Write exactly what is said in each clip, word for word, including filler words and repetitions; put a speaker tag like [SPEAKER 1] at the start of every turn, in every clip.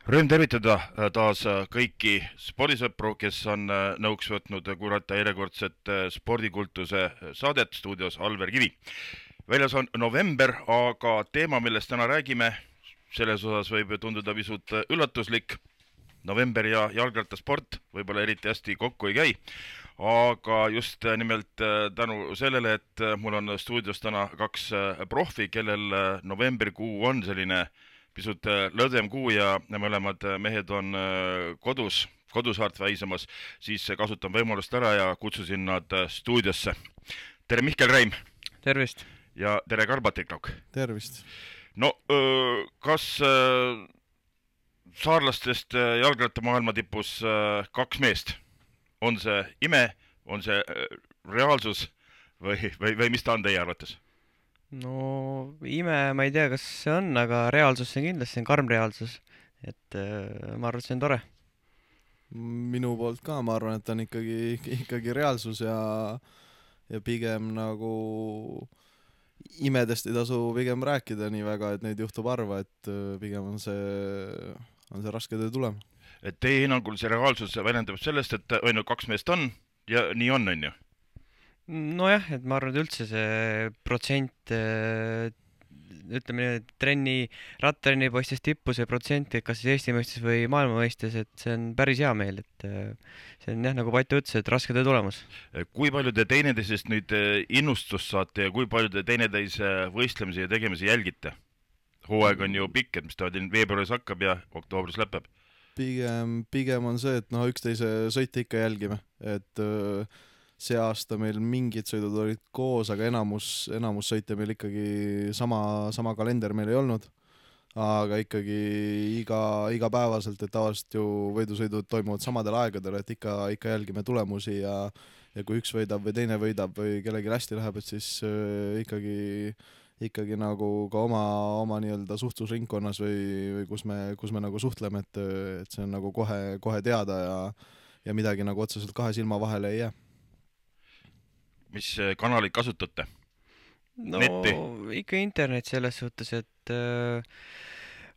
[SPEAKER 1] Rõõm tervitada taas kõiki spordisõpru, kes on nõuks võtnud kuulata järjekordset spordikultuse saadet stuudios Alver Kivi. Väljas on november, aga teema, millest täna räägime, selles osas võib tunduda pisut üllatuslik. November ja jalgrattasport võib-olla eriti hästi kokku ei käi, aga just nimelt tänu sellele, et mul on stuudios täna kaks profi, kellel novembrikuu on selline pisut lõdvem kuu ja mõlemad mehed on kodus, kodusaart väisamas, siis kasutan võimalust ära ja kutsusin nad stuudiosse. Tere Mihkel Reim!
[SPEAKER 2] Tervist!
[SPEAKER 1] Ja tere Karl-Patrik!
[SPEAKER 3] Tervist!
[SPEAKER 1] No, kas saarlastest jalgrattamaailma tipus kaks meest? On see ime, on see reaalsus või, või, või mis ta on teie arvates?
[SPEAKER 2] No ime, ma ei tea, kas see on, aga reaalsus see on kindlasti, see on karm reaalsus. Et äh, ma arvan, et see on tore.
[SPEAKER 3] Minu poolt ka, ma arvan, et on ikkagi, ikkagi reaalsus ja, ja pigem nagu imedest ei tasu pigem rääkida nii väga, et neid juhtub harva, et pigem on see, on see raske töö tulem.
[SPEAKER 1] Et teie hinnangul see reaalsus väljendab sellest, et on ju kaks meest on ja nii on, on ju?
[SPEAKER 2] Nojah, et ma arvan, et üldse see protsent, ütleme nii, et trenni, rattrenni poistes tippu see protsent, et kas siis Eesti mõistes või maailma mõistes, et see on päris hea meel, et see on jah, nagu Patu ütles, et raske töö tulemus.
[SPEAKER 1] Kui palju te teineteisest nüüd innustust saate ja kui palju te teineteise võistlemisi ja tegemisi jälgite? Hooaeg on ju pikk, et mis ta veebruaris hakkab ja oktoobris lõpeb.
[SPEAKER 3] Pigem, pigem on see, et noh, üksteise sõite ikka jälgime, et see aasta meil mingid sõidud olid koos, aga enamus, enamus sõite meil ikkagi sama, sama kalender meil ei olnud, aga ikkagi iga, iga päevaselt, et tavaliselt ju võidusõidud toimuvad samadel aegadel, et ikka, ikka jälgime tulemusi ja, ja kui üks võidab või teine võidab või kellelgi hästi läheb, et siis äh, ikkagi, ikkagi nagu ka oma, oma nii-öelda suhtlusringkonnas või, või kus me, kus me nagu suhtleme, et, et see on nagu kohe, kohe teada ja, ja midagi nagu otseselt kahe silma vahele ei jää.
[SPEAKER 1] Mis kanaleid kasutate?
[SPEAKER 2] No
[SPEAKER 1] Netti?
[SPEAKER 2] ikka internet selles suhtes, et äh,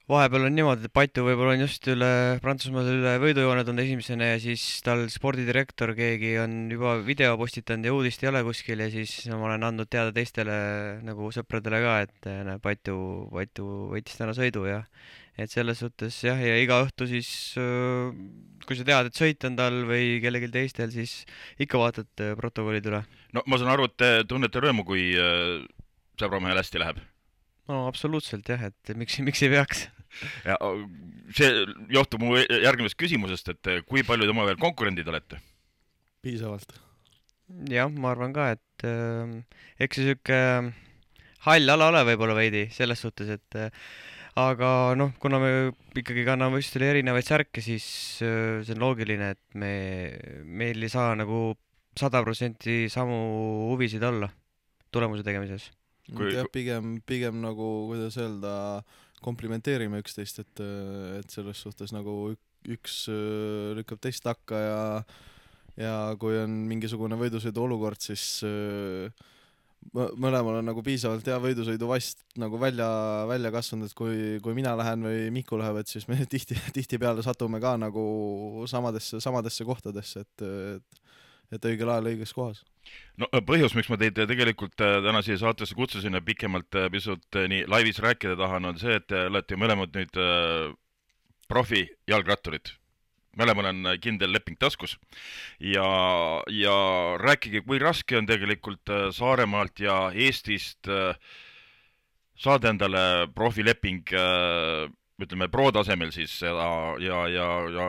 [SPEAKER 2] vahepeal on niimoodi, et Patu võib-olla on just üle Prantsusmaal üle võidujoone tulnud esimesena ja siis tal spordidirektor keegi on juba video postitanud ja uudist ei ole kuskil ja siis ma olen andnud teada teistele nagu sõpradele ka, et näe, Patu, Patu võitis täna sõidu ja et selles suhtes jah, ja iga õhtu siis, kui sa tead, et sõit on tal või kellelgi teistel, siis ikka vaatad protokollid üle.
[SPEAKER 1] No ma saan aru, et te tunnete rõõmu, kui sõbramehel hästi läheb.
[SPEAKER 2] No absoluutselt jah, et miks, miks ei peaks.
[SPEAKER 1] Ja see johtub mu järgmisest küsimusest, et kui palju te omavahel konkurendid olete?
[SPEAKER 3] Piisavalt.
[SPEAKER 2] Jah, ma arvan ka, et äh, eks see siuke hall ala ole võib-olla veidi selles suhtes, et äh, aga noh, kuna me ikkagi kanname võistlustele erinevaid särke, siis äh, see on loogiline, et me, meil ei saa nagu sada protsenti samu huvisid olla tulemuse tegemises.
[SPEAKER 1] Kui...
[SPEAKER 3] Ja pigem, pigem nagu, kuidas öelda, komplimenteerime üksteist, et, et selles suhtes nagu üks lükkab teist takka ja, ja kui on mingisugune võidusõidu olukord, siis mõlemal on nagu piisavalt hea võidusõidu vast nagu välja, välja kasvanud, et kui, kui mina lähen või Miku läheb, et siis me tihti, tihti peale satume ka nagu samadesse, samadesse kohtadesse, et, et, et õigel ajal õiges kohas.
[SPEAKER 1] No põhjus, miks ma teid tegelikult täna siia saatesse kutsusin ja pikemalt pisut nii laivis rääkida tahan, on see, et te olete mõlemad nüüd profi jalgratturid. Mõlemal on kindel leping taskus ja, ja rääkige, kui raske on tegelikult Saaremaalt ja Eestist saada endale profileping, ütleme pro tasemel siis ja, ja, ja, ja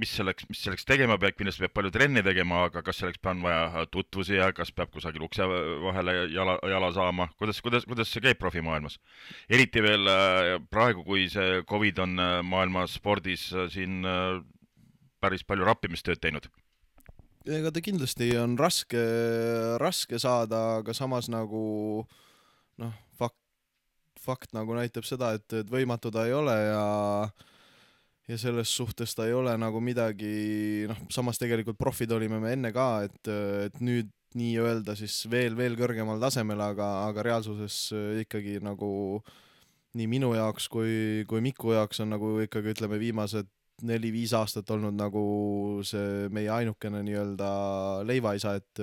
[SPEAKER 1] mis selleks, mis selleks tegema peab, kindlasti peab palju trenni tegema, aga kas selleks on vaja tutvusi ja kas peab kusagil ukse vahele jala, jala saama? Kuidas, kuidas, kuidas see käib profimaailmas? Eriti veel praegu, kui see Covid on maailmas spordis siin päris palju rappimistööd teinud.
[SPEAKER 3] Ega ta kindlasti on raske, raske saada, aga samas nagu noh, fakt, fakt nagu näitab seda, et, et võimatu ta ei ole ja ja selles suhtes ta ei ole nagu midagi, noh, samas tegelikult profid olime me enne ka, et, et nüüd nii öelda siis veel, veel kõrgemal tasemel, aga, aga reaalsuses ikkagi nagu nii minu jaoks kui, kui Miku jaoks on nagu ikkagi ütleme viimased neli-viis aastat olnud nagu see meie ainukene nii-öelda leivaisa, et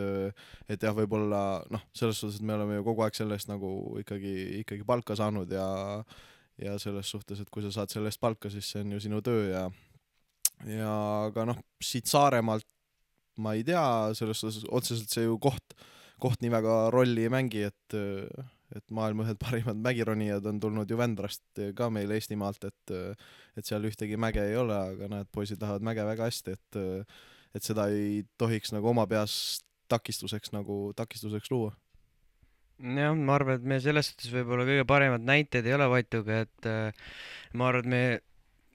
[SPEAKER 3] et jah, võib-olla noh, selles suhtes, et me oleme ju kogu aeg sellest nagu ikkagi, ikkagi palka saanud ja ja selles suhtes, et kui sa saad selle eest palka, siis see on ju sinu töö ja ja aga noh, siit Saaremaalt ma ei tea, selles suhtes otseselt see ju koht, koht nii väga rolli ei mängi, et et maailma ühed parimad mägironijad on tulnud ju Vändrast ka meil Eestimaalt, et et seal ühtegi mäge ei ole, aga näed, poisid tahavad mäge väga hästi, et et seda ei tohiks nagu oma peas takistuseks nagu takistuseks luua.
[SPEAKER 2] jah, ma arvan, et me selles suhtes võib-olla kõige paremad näited ei ole Vatuga, et ma arvan, et me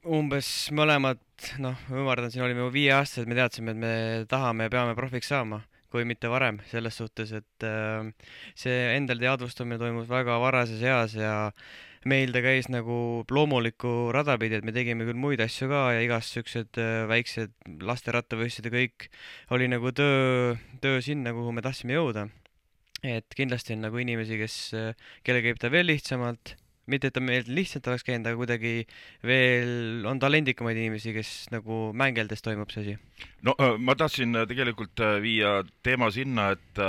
[SPEAKER 2] umbes mõlemad, noh, ümardan, siin olime viie aastased, me teadsime, et me tahame ja peame profiks saama, kui mitte varem, selles suhtes, et äh, see endal teadvustamine toimus väga varases eas ja meil ta käis nagu loomulikku rada pidi, et me tegime küll muid asju ka ja igast siuksed äh, väiksed lasterattavõistlused ja kõik oli nagu töö, töö sinna, kuhu me tahtsime jõuda. Et kindlasti on nagu inimesi, kes, kelle käib ta veel lihtsamalt, mitte et ta meil lihtsalt oleks käinud, aga kuidagi veel on talendikamaid inimesi, kes nagu mängeldes toimub see asi.
[SPEAKER 1] no ma tahtsin tegelikult viia teema sinna, et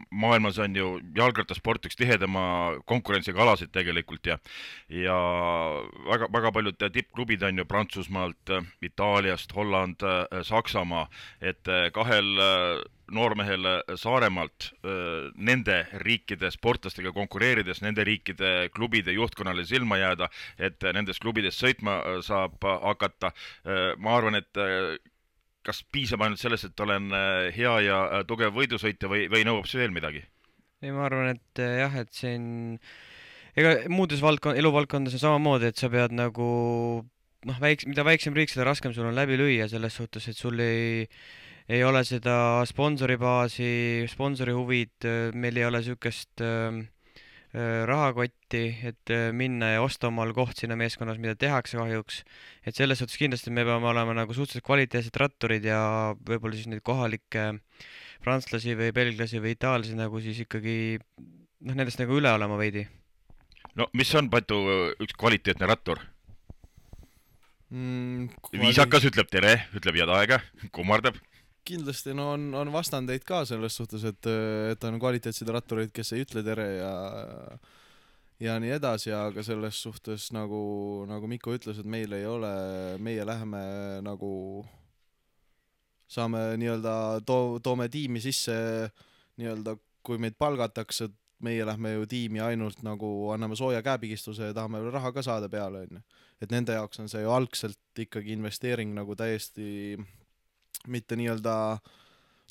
[SPEAKER 1] maailmas on ju jalgrattasport üks tihedama konkurentsiga alasid tegelikult ja ja väga, väga paljud tippklubid on ju Prantsusmaalt, Itaaliast, Holland, Saksamaa, et kahel noormehel Saaremaalt nende riikide sportlastega konkureerides, nende riikide klubide juhtkonnale silma jääda, et nendes klubides sõitma saab hakata. Ma arvan, et kas piisab ainult sellest, et olen hea ja tugev võidusõitja või, või nõuab see veel midagi?
[SPEAKER 2] ei, ma arvan, et jah, et siin ega muudes valdkond, eluvaldkondades on samamoodi, et sa pead nagu noh, väiks, mida väiksem riik, seda raskem sul on läbi lüüa selles suhtes, et sul ei ei ole seda sponsoribaasi, sponsori huvid, meil ei ole niisugust äh, rahakotti, et minna ja osta omal koht sinna meeskonnas, mida tehakse kahjuks. Et selles suhtes kindlasti me peame olema nagu suhteliselt kvaliteetsed ratturid ja võib-olla siis neid kohalikke prantslasi või belglasi või itaallasi nagu siis ikkagi noh, nendest nagu üle olema veidi.
[SPEAKER 1] No mis on, Patu, üks kvaliteetne rattur?
[SPEAKER 3] Mm,
[SPEAKER 1] Viisakas ütleb tere, ütleb head aega, kummardab.
[SPEAKER 3] Kindlasti no on, on vastandeid ka selles suhtes, et, et on kvaliteetseid rattureid, kes ei ütle tere ja ja nii edasi, aga selles suhtes nagu, nagu Miku ütles, et meil ei ole, meie läheme nagu saame nii-öelda to-, toome tiimi sisse nii-öelda, kui meid palgatakse, meie lähme ju tiimi ainult nagu anname sooja käepigistuse ja tahame veel raha ka saada peale, on ju. Et nende jaoks on see ju algselt ikkagi investeering nagu täiesti mitte nii-öelda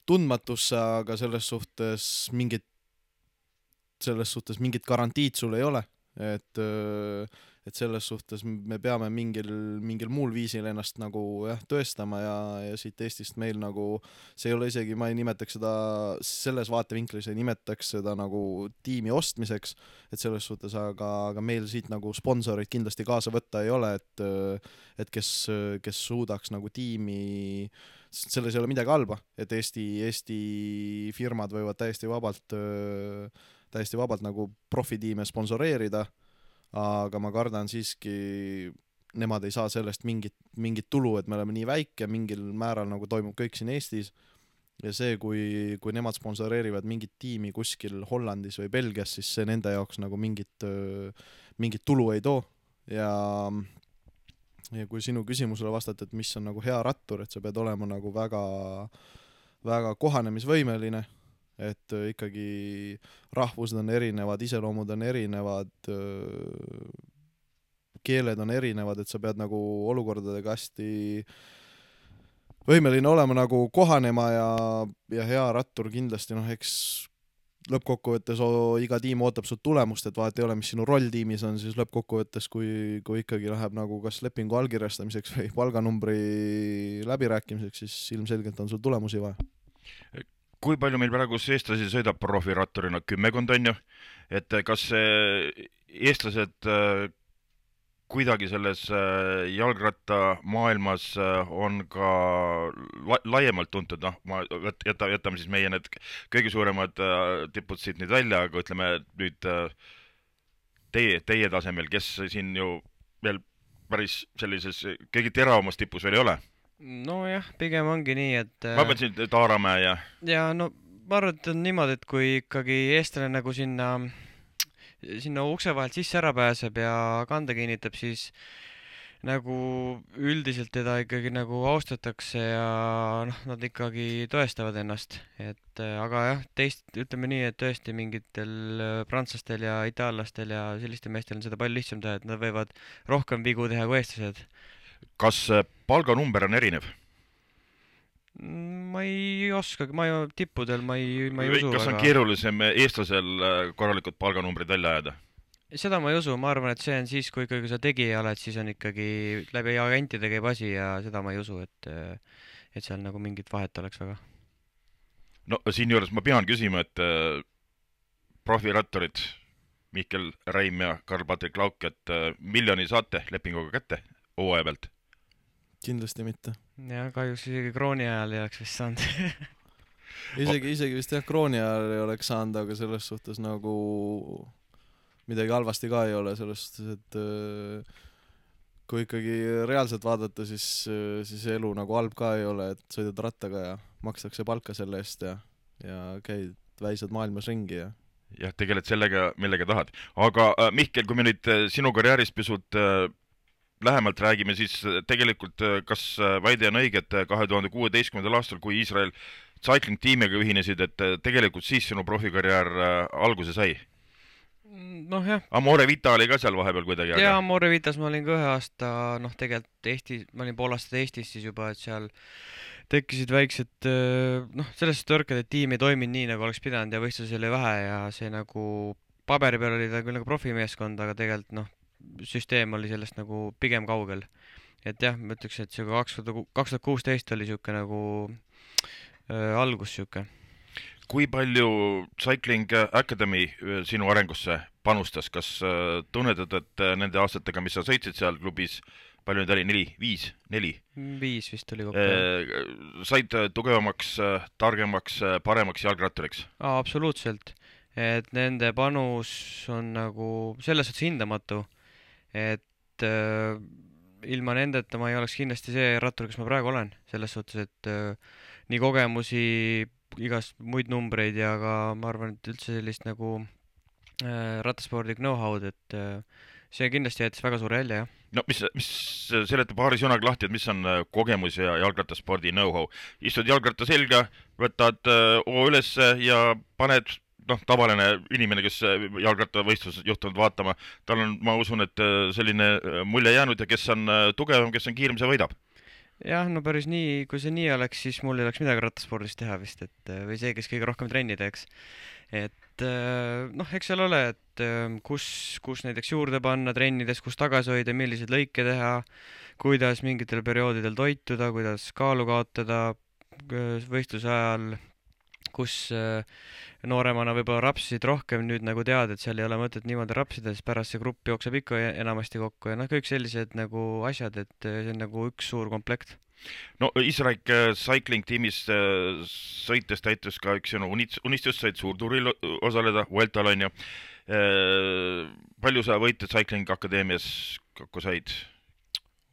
[SPEAKER 3] tundmatusse, aga selles suhtes mingit, selles suhtes mingit garantiid sul ei ole, et, et selles suhtes me peame mingil, mingil muul viisil ennast nagu jah, tõestama ja, ja siit Eestist meil nagu, see ei ole isegi, ma ei nimetaks seda selles vaatevinklis, ei nimetaks seda nagu tiimi ostmiseks, et selles suhtes, aga, aga meil siit nagu sponsorid kindlasti kaasa võtta ei ole, et, et kes, kes suudaks nagu tiimi, selles ei ole midagi halba, et Eesti, Eesti firmad võivad täiesti vabalt, täiesti vabalt nagu profitiime sponsoreerida, aga ma kardan siiski, nemad ei saa sellest mingit, mingit tulu, et me oleme nii väike, mingil määral nagu toimub kõik siin Eestis ja see, kui, kui nemad sponsoreerivad mingit tiimi kuskil Hollandis või Belgias, siis see nende jaoks nagu mingit, mingit tulu ei too ja ja kui sinu küsimusele vastata, et mis on nagu hea rattur, et sa pead olema nagu väga, väga kohanemisvõimeline, et ikkagi rahvused on erinevad, iseloomud on erinevad, keeled on erinevad, et sa pead nagu olukordadega hästi võimeline olema nagu kohanema ja, ja hea rattur kindlasti, noh, eks lõppkokkuvõttes o, iga tiim ootab sult tulemust, et vahet ei ole, mis sinu roll tiimis on, siis lõppkokkuvõttes, kui, kui ikkagi läheb nagu kas lepingu allkirjastamiseks või palganumbri läbirääkimiseks, siis ilmselgelt on sul tulemusi vaja.
[SPEAKER 1] Kui palju meil praegu eestlasi sõidab profiratturina? Kümmekond on ju, et kas eestlased kuidagi selles jalgratta maailmas on ka la laiemalt tuntud, noh, ma jäta, jätame siis meie need kõige suuremad tipud siit nüüd välja, aga ütleme nüüd teie, teie tasemel, kes siin ju veel päris sellises kõige teravamas tipus veel ei ole?
[SPEAKER 2] nojah, pigem ongi nii, et
[SPEAKER 1] ma mõtlesin Taaramäe ja
[SPEAKER 2] ja no ma arvan, et on niimoodi, et kui ikkagi eestlane nagu sinna, sinna ukse vahelt sisse ära pääseb ja kande kinnitab, siis nagu üldiselt teda ikkagi nagu austatakse ja noh, nad ikkagi tõestavad ennast, et aga jah, teist, ütleme nii, et tõesti mingitel prantslastel ja itaallastel ja sellistel meestel on seda palju lihtsam teha, et nad võivad rohkem vigu teha kui eestlased.
[SPEAKER 1] kas palganumber on erinev?
[SPEAKER 2] ma ei oskagi, ma ju tippudel ma ei, ma ei usu
[SPEAKER 1] kas on keerulisem eestlasel korralikud palganumbrid välja ajada?
[SPEAKER 2] seda ma ei usu, ma arvan, et see on siis, kui ikkagi sa tegija oled, siis on ikkagi läbi agentide käib asi ja seda ma ei usu, et et seal nagu mingit vahet oleks väga.
[SPEAKER 1] No siinjuures ma pean küsima, et profirattorid Mihkel Räim ja Karl-Patrik Lauk, et miljoni saate lepinguga kätte hooaja pealt?
[SPEAKER 3] kindlasti mitte.
[SPEAKER 2] jah, kahjuks isegi krooni ajal ei oleks vist saanud
[SPEAKER 3] isegi, isegi vist jah, krooni ajal ei oleks saanud, aga selles suhtes nagu midagi halvasti ka ei ole, selles suhtes, et kui ikkagi reaalselt vaadata, siis, siis elu nagu halb ka ei ole, et sõidad rattaga ja makstakse palka selle eest ja, ja käid, väisad maailmas ringi ja
[SPEAKER 1] jah, tegeled sellega, millega tahad. Aga Mihkel, kui me nüüd sinu karjäärist pisut lähemalt räägime, siis tegelikult kas väide on õige, et kahe tuhande kuueteistkümnendal aastal, kui Iisrael Cycling tiimiga ühinesid, et tegelikult siis sinu profikarjäär alguse sai?
[SPEAKER 2] noh jah.
[SPEAKER 1] Amore Vita oli ka seal vahepeal kuidagi?
[SPEAKER 2] jaa, Amore Vitas ma olin ka ühe aasta, noh tegelikult Eesti, ma olin pool aastat Eestis siis juba, et seal tekkisid väiksed, noh selles tõrked, et tiim ei toiminud nii, nagu oleks pidanud ja võistlusi oli vähe ja see nagu paberi peal oli ta küll nagu profimeeskond, aga tegelikult noh, süsteem oli sellest nagu pigem kaugel. et jah, ma ütleks, et see kaks tuhat kuusteist oli siuke nagu äh, algus siuke.
[SPEAKER 1] Kui palju Cycling Academy sinu arengusse panustas, kas tunnetad, et nende aastatega, mis sa sõitsid seal klubis, palju nüüd oli, neli, viis, neli?
[SPEAKER 2] Viis vist oli kokku.
[SPEAKER 1] Said tugevamaks, targemaks, paremaks jalgratturiks?
[SPEAKER 2] Absoluutselt, et nende panus on nagu selles suhtes hindamatu, et äh, ilma nendeta ma ei oleks kindlasti see rattur, kes ma praegu olen, selles suhtes, et äh, nii kogemusi, igast muid numbreid ja ka ma arvan, et üldse sellist nagu äh, rattaspordi know-how'd, et äh, see kindlasti jättis väga suure jälje, jah.
[SPEAKER 1] No mis, mis seleta paari sõnaga lahti, et mis on kogemus ja jalgrattaspordi know-how? Istud jalgratta selga, võtad oo üles ja paned, noh, tavaline inimene, kes jalgrattavõistlus juhtunud vaatama, tal on, ma usun, et selline mulje jäänud ja kes on tugevam, kes on kiirem, see võidab.
[SPEAKER 2] jah, no päris nii, kui see nii oleks, siis mul ei oleks midagi rattaspordis teha vist, et või see, kes kõige rohkem trenni teeks. et noh, eks seal ole, et kus, kus näiteks juurde panna trennides, kus tagasi hoida, milliseid lõike teha, kuidas mingitel perioodidel toituda, kuidas kaalu kaotada võistluse ajal, kus nooremana võib-olla rapsisid rohkem, nüüd nagu tead, et seal ei ole mõtet niimoodi rapsida, siis pärast see grupp jookseb ikka enamasti kokku ja noh, kõik sellised nagu asjad, et see on nagu üks suur komplekt.
[SPEAKER 1] No Iisrael Cycling tiimis sõites täitus ka üks sinu unistus, said suurtuuril osaleda, Vueltal on ju. Palju sa võite Cycling Akadeemias kokku said?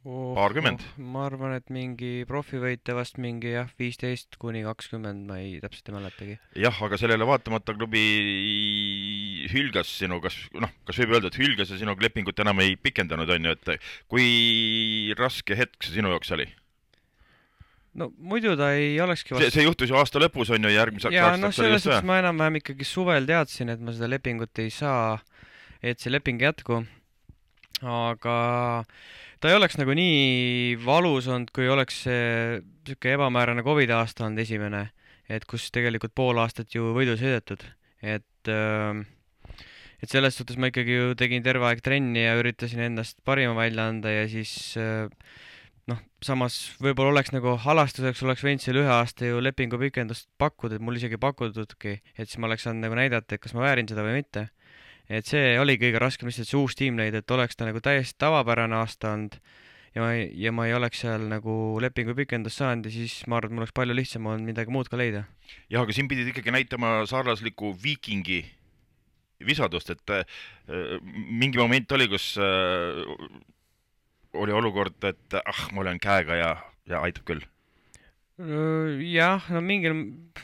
[SPEAKER 2] Oh,
[SPEAKER 1] paarkümmend?
[SPEAKER 2] Oh, ma arvan, et mingi profivõite vast mingi jah, viisteist kuni kakskümmend, ma ei täpselt ei mäletagi.
[SPEAKER 1] jah, aga sellele vaatamata klubi hülgas sinu, kas, noh, kas võib öelda, et hülgas ja sinuga lepingut enam ei pikendanud, on ju, et kui raske hetk see sinu jaoks oli?
[SPEAKER 2] no muidu ta ei olekski
[SPEAKER 1] vast... see, see juhtus ju aasta lõpus, on ju, järgmiseks
[SPEAKER 2] ja noh, selles suhtes ma enam-vähem ikkagi suvel teadsin, et ma seda lepingut ei saa, et see leping jätku, aga ta ei oleks nagu nii valus olnud, kui oleks see siuke ebamäärane Covid aasta olnud esimene, et kus tegelikult pool aastat ju võidu sõidetud, et et selles suhtes ma ikkagi ju tegin terve aeg trenni ja üritasin endast parima välja anda ja siis noh, samas võib-olla oleks nagu halastuseks oleks võinud selle ühe aasta ju lepingu pikendust pakkuda, et mul isegi pakutudki, et siis ma oleks saanud nagu näidata, et kas ma väärin seda või mitte. Et see oli kõige raskem lihtsalt see uus tiim leida, et oleks ta nagu täiesti tavapärane aasta olnud ja ma, ei, ja ma ei oleks seal nagu lepingu pikendust saanud ja siis ma arvan, et mul oleks palju lihtsam olnud midagi muud ka leida.
[SPEAKER 1] jah, aga siin pidid ikkagi näitama sarlasliku viikingi visadust, et äh, mingi moment oli, kus äh, oli olukord, et ah, ma olen käega ja, ja aitab küll.
[SPEAKER 2] Jah, no mingil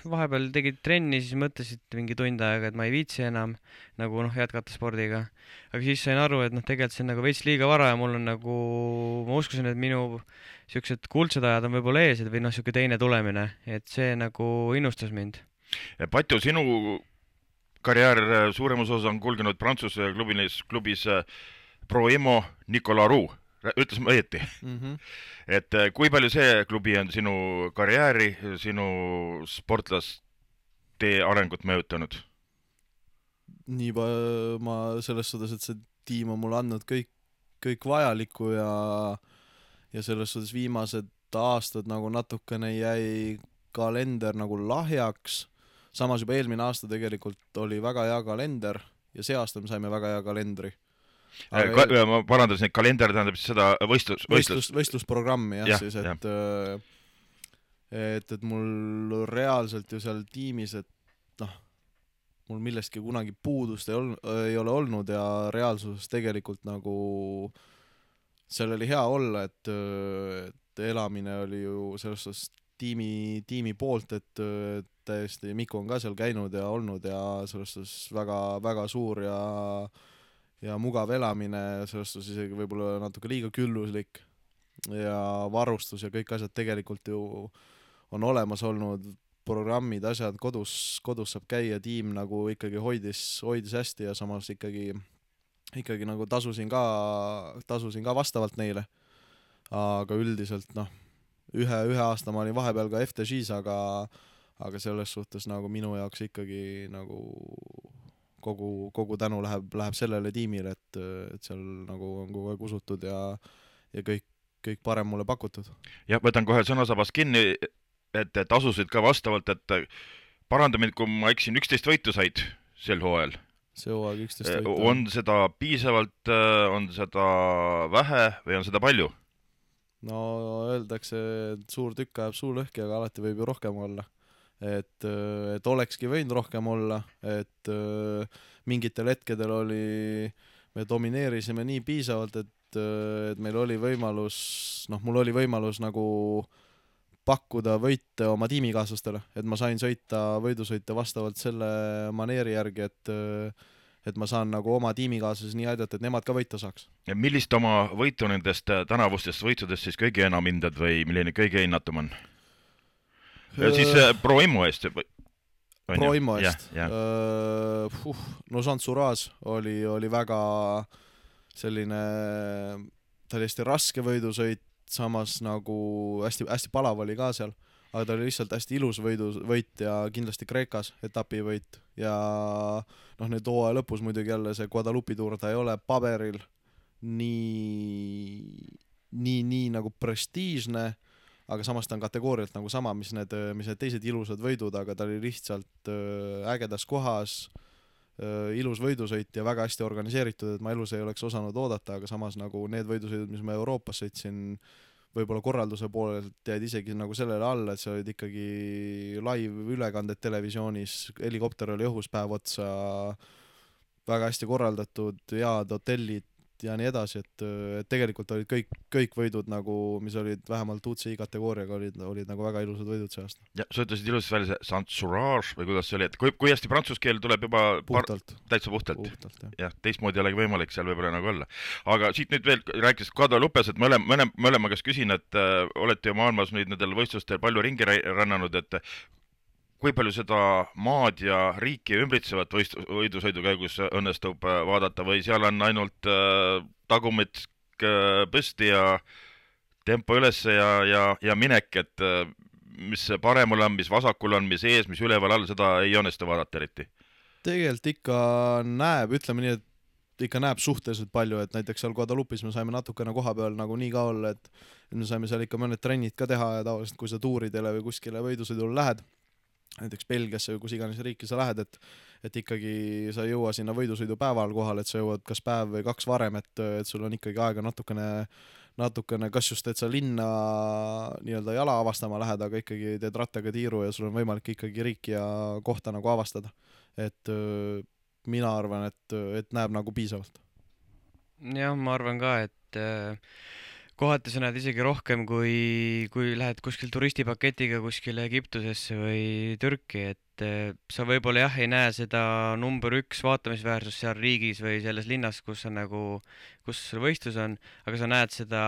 [SPEAKER 2] vahepeal tegid trenni, siis mõtlesid mingi tund aega, et ma ei viitsi enam nagu noh, jätkata spordiga. Aga siis sain aru, et noh, tegelikult see on nagu veits liiga vara ja mul on nagu, ma uskusin, et minu siuksed kuldsed ajad on võib-olla ees või noh, siuke teine tulemine, et see nagu innustas mind.
[SPEAKER 1] Patju, sinu karjäär suuremas osas on kulgenud Prantsuse klubis, klubis Pro Imo Nicolas Roux. Ütles ma õieti
[SPEAKER 3] mm. -hmm.
[SPEAKER 1] Et kui palju see klubi on sinu karjääri, sinu sportlaste arengut mõjutanud?
[SPEAKER 3] Nii ma selles suhtes, et see tiim on mulle andnud kõik, kõik vajalikku ja, ja selles suhtes viimased aastad nagu natukene jäi kalender nagu lahjaks. Samas juba eelmine aasta tegelikult oli väga hea kalender ja see aasta me saime väga hea kalendri.
[SPEAKER 1] Ka, eel... ma parandasin, et kalender tähendab siis seda võistlus,
[SPEAKER 3] võistlus, võistlusprogrammi jah,
[SPEAKER 1] ja,
[SPEAKER 3] siis, et,
[SPEAKER 1] ja.
[SPEAKER 3] et, et mul reaalselt ju seal tiimis, et noh, mul millestki kunagi puudust ei, ol, ei ole olnud ja reaalsuses tegelikult nagu seal oli hea olla, et, et elamine oli ju selles suhtes tiimi, tiimi poolt, et, et täiesti Miku on ka seal käinud ja olnud ja selles suhtes väga, väga suur ja ja mugav elamine, selles suhtes isegi võib-olla natuke liiga külluslik ja varustus ja kõik asjad tegelikult ju on olemas olnud, programmid, asjad, kodus, kodus saab käia, tiim nagu ikkagi hoidis, hoidis hästi ja samas ikkagi, ikkagi nagu tasusin ka, tasusin ka vastavalt neile. Aga üldiselt noh, ühe, ühe aasta ma olin vahepeal ka F T G-s, aga, aga selles suhtes nagu minu jaoks ikkagi nagu kogu, kogu tänu läheb, läheb sellele tiimile, et, et seal nagu on kogu aeg usutud ja, ja kõik, kõik parem mulle pakutud.
[SPEAKER 1] Jah, võtan kohe sõnasabast kinni, et tasusid ka vastavalt, et paranda mind, kui ma eksin, üksteist võitu said sel hooajal.
[SPEAKER 3] See hooaeg üksteist võitu.
[SPEAKER 1] On seda piisavalt, on seda vähe või on seda palju?
[SPEAKER 3] No öeldakse, et suur tükk ajab suu lõhki, aga alati võib ju rohkem olla. Et, et olekski võinud rohkem olla, et mingitel hetkedel oli, me domineerisime nii piisavalt, et, et meil oli võimalus, noh, mul oli võimalus nagu pakkuda võite oma tiimikaaslastele, et ma sain sõita võidusõite vastavalt selle maneeri järgi, et, et ma saan nagu oma tiimikaaslasi nii aidata, et nemad ka võita saaks.
[SPEAKER 1] Ja millist oma võitu nendest tänavustest võitsudest siis kõige enam hindad või milline kõige hinnatum on? Ja siis Pro Imo eest.
[SPEAKER 3] Pro Imo eest. Uh, uh, no Sansuras oli, oli väga selline, ta oli hästi raske võidusõit, samas nagu hästi, hästi palav oli ka seal, aga ta oli lihtsalt hästi ilus võidu, võit ja kindlasti Kreekas etapivõit ja noh, nüüd hooaja lõpus muidugi jälle see Guadalupi tuur, ta ei ole paberil nii, nii, nii nagu prestiižne, aga samas ta on kategoorialt nagu sama, mis need, mis need teised ilusad võidud, aga ta oli lihtsalt ägedas kohas, ilus võidusõit ja väga hästi organiseeritud, et ma elus ei oleks osanud oodata, aga samas nagu need võidusõidud, mis ma Euroopas sõitsin, võib-olla korralduse poolelt jäid isegi nagu sellele alla, et see olid ikkagi live ülekanded televisioonis, helikopter oli õhus päev otsa, väga hästi korraldatud, head hotellid ja nii edasi, et, et tegelikult olid kõik, kõik võidud nagu, mis olid vähemalt U C I kategooriaga, olid, olid nagu väga ilusad võidud see aasta.
[SPEAKER 1] Ja sa ütlesid ilusasti välja see Sansurage või kuidas see oli, et kui, kui hästi prantsuse keel tuleb juba
[SPEAKER 3] puhtalt.
[SPEAKER 1] Par... täitsa puhtalt,
[SPEAKER 3] puhtalt jah.
[SPEAKER 1] jah, teistmoodi ei olegi võimalik seal võib-olla nagu olla. Aga siit nüüd veel rääkisid Guadalupes, et mõlema, mõlema, mõlema käest küsin, et äh, olete ju maailmas nüüd nendel võistlustel palju ringi rännanud, et kui palju seda maad ja riiki ümbritsevat võist, võidusõidu käigus õnnestub vaadata või seal on ainult äh, tagumit äh, püsti ja tempo ülesse ja, ja, ja minek, et äh, mis paremul on, mis vasakul on, mis ees, mis üleval all, seda ei õnnestu vaadata eriti?
[SPEAKER 3] Tegelikult ikka näeb, ütleme nii, et ikka näeb suhteliselt palju, et näiteks seal Guadalupis me saime natukene koha peal nagu nii ka olla, et me saime seal ikka mõned trennid ka teha ja tavaliselt kui sa tuuridele või kuskile võidusõidule lähed, näiteks Belgiasse või kus iganes riiki sa lähed, et, et ikkagi sa ei jõua sinna võidusõidu päeval kohal, et sa jõuad kas päev või kaks varem, et, et sul on ikkagi aega natukene, natukene, kas just, et sa linna nii-öelda jala avastama lähed, aga ikkagi teed rattaga tiiru ja sul on võimalik ikkagi riiki ja kohta nagu avastada. Et mina arvan, et, et näeb nagu piisavalt.
[SPEAKER 2] jah, ma arvan ka, et äh, kohati sa näed isegi rohkem, kui, kui lähed kuskil turistipaketiga kuskile Egiptusesse või Türki, et äh, sa võib-olla jah, ei näe seda number üks vaatamisväärsust seal riigis või selles linnas, kus on nagu, kus võistlus on, aga sa näed seda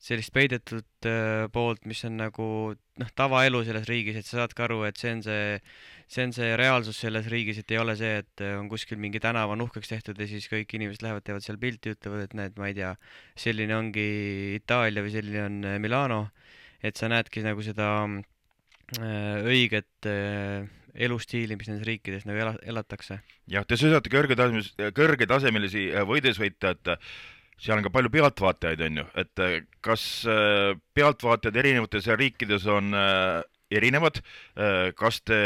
[SPEAKER 2] sellist peidetud äh, poolt, mis on nagu noh, tavaelu selles riigis, et sa saad ka aru, et see on see see on see reaalsus selles riigis, et ei ole see, et on kuskil mingi tänava uhkeks tehtud ja siis kõik inimesed lähevad, teevad seal pilti, ütlevad, et näed, ma ei tea, selline ongi Itaalia või selline on Milano, et sa näedki nagu seda äh, õiget äh, elustiili, mis nendes riikides nagu ela, elatakse.
[SPEAKER 1] jah, te sõidate kõrgetasemelisi, kõrgetasemelisi võidusõite, et seal on ka palju pealtvaatajaid, on ju, et kas pealtvaatajad erinevates riikides on erinevad, kas te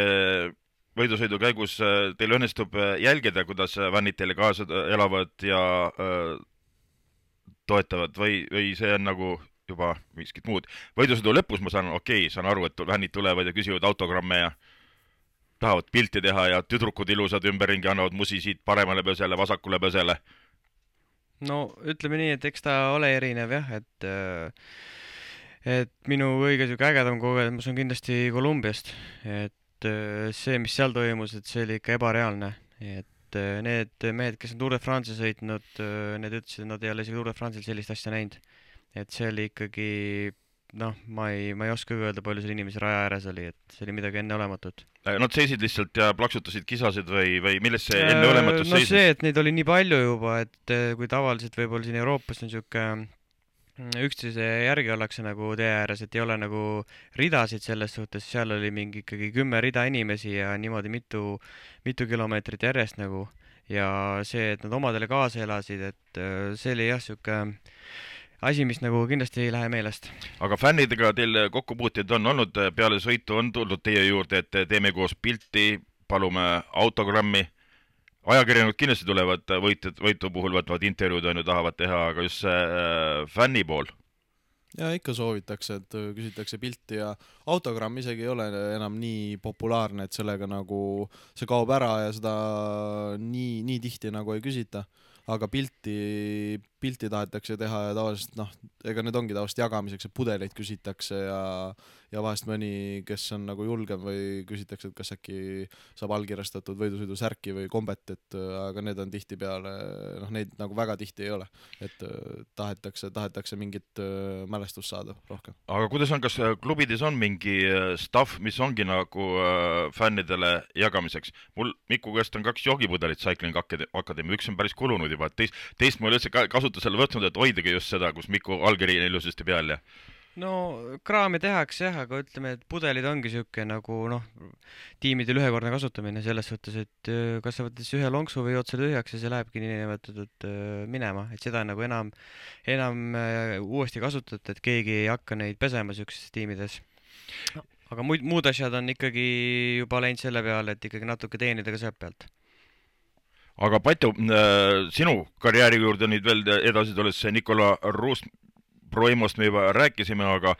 [SPEAKER 1] võidusõidu käigus teil õnnestub jälgida, kuidas fännid teile kaasa elavad ja toetavad või, või see on nagu juba miskit muud. võidusõidu lõpus ma saan, okei okay,, saan aru, et fännid tulevad ja küsivad autogramme ja tahavad pilti teha ja tüdrukud ilusad ümberringi annavad musi siit paremale pösele, vasakule pösele.
[SPEAKER 2] no ütleme nii, et eks ta ole erinev jah, et et minu kõige siuke ägedam kogemus on kindlasti Kolumbiast, et see, mis seal toimus, et see oli ikka ebareaalne, et need mehed, kes on Tour de France'i sõitnud, need ütlesid, et nad ei ole isegi Tour de France'il sellist asja näinud, et see oli ikkagi noh, ma ei, ma ei oska öelda, palju seal inimesi raja ääres oli, et see oli midagi enneolematut.
[SPEAKER 1] Nad seisid lihtsalt ja plaksutasid, kisasid või, või milles see enneolematus
[SPEAKER 2] no
[SPEAKER 1] seisis?
[SPEAKER 2] see, et neid oli nii palju juba, et kui tavaliselt võib-olla siin Euroopas on siuke üksteise järgi ollakse nagu tee ääres, et ei ole nagu ridasid selles suhtes, seal oli mingi ikkagi kümme rida inimesi ja niimoodi mitu, mitu kilomeetrit järjest nagu ja see, et nad omadele kaasa elasid, et see oli jah, siuke asi, mis nagu kindlasti ei lähe meelest.
[SPEAKER 1] aga fännidega teil kokkupuuteid on olnud, peale sõitu on tulnud teie juurde, et teeme koos pilti, palume autogrammi, ajakirjanikud kindlasti tulevad võitu, võitu puhul võtavad intervjuud on ju, tahavad teha, aga just see äh, fänni pool?
[SPEAKER 3] ja ikka soovitakse, et küsitakse pilti ja autogramm isegi ei ole enam nii populaarne, et sellega nagu see kaob ära ja seda nii, nii tihti nagu ei küsita, aga pilti, pilti tahetakse teha ja tavaliselt noh, ega need ongi tavaliselt jagamiseks, et pudeleid küsitakse ja, ja vahest mõni, kes on nagu julgem või küsitakse, et kas äkki saab allkirjastatud võidusõidu särki või kombet, et aga need on tihtipeale, noh neid nagu väga tihti ei ole, et tahetakse, tahetakse mingit mälestust saada rohkem.
[SPEAKER 1] aga kuidas on, kas klubides on mingi staff, mis ongi nagu äh, fännidele jagamiseks? Mul Miku käest on kaks joogipudelit Cycling Academy, üks on päris kulunud juba, et teist, teist ma ei ole üldse kasutusele võtnud, et hoidagi just seda, kus Miku allkiri on ilusasti peal ja
[SPEAKER 2] no kraami tehakse jah, aga ütleme, et pudelid ongi siuke nagu noh, tiimidel ühekordne kasutamine selles suhtes, et kas sa võtad siis ühe lonksu või jood selle tühjaks ja see lähebki niinimetatud minema, et seda nagu enam, enam uuesti kasutada, et keegi ei hakka neid pesema siukses tiimides. aga muud, muud asjad on ikkagi juba läinud selle peale, et ikkagi natuke teenida ka sealt pealt.
[SPEAKER 1] aga Patju, sinu karjääri juurde nüüd veel edasi tulles, Nikola Ruus Proimost me juba rääkisime, aga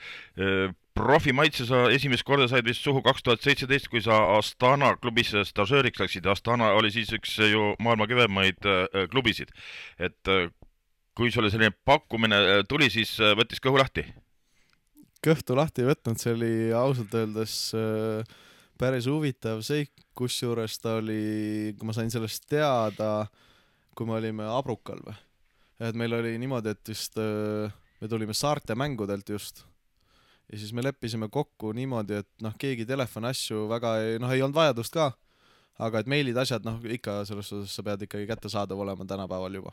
[SPEAKER 1] profimaitse sa esimest korda said vist suhu kaks tuhat seitseteist, kui sa Astana klubis stažööriks läksid. Astana oli siis üks ju maailma kõvemaid klubisid. Et kui sulle selline pakkumine tuli, siis võttis kõhu lahti?
[SPEAKER 3] Kõhtu lahti ei võtnud, see oli ausalt öeldes päris huvitav seik, kusjuures ta oli, kui ma sain sellest teada, kui me olime Abrukal või. Et meil oli niimoodi, et vist me tulime saarte mängudelt just ja siis me leppisime kokku niimoodi, et noh, keegi telefoni asju väga ei, noh, ei olnud vajadust ka, aga et meilid asjad, noh, ikka selles suhtes sa pead ikkagi kättesaadav olema tänapäeval juba.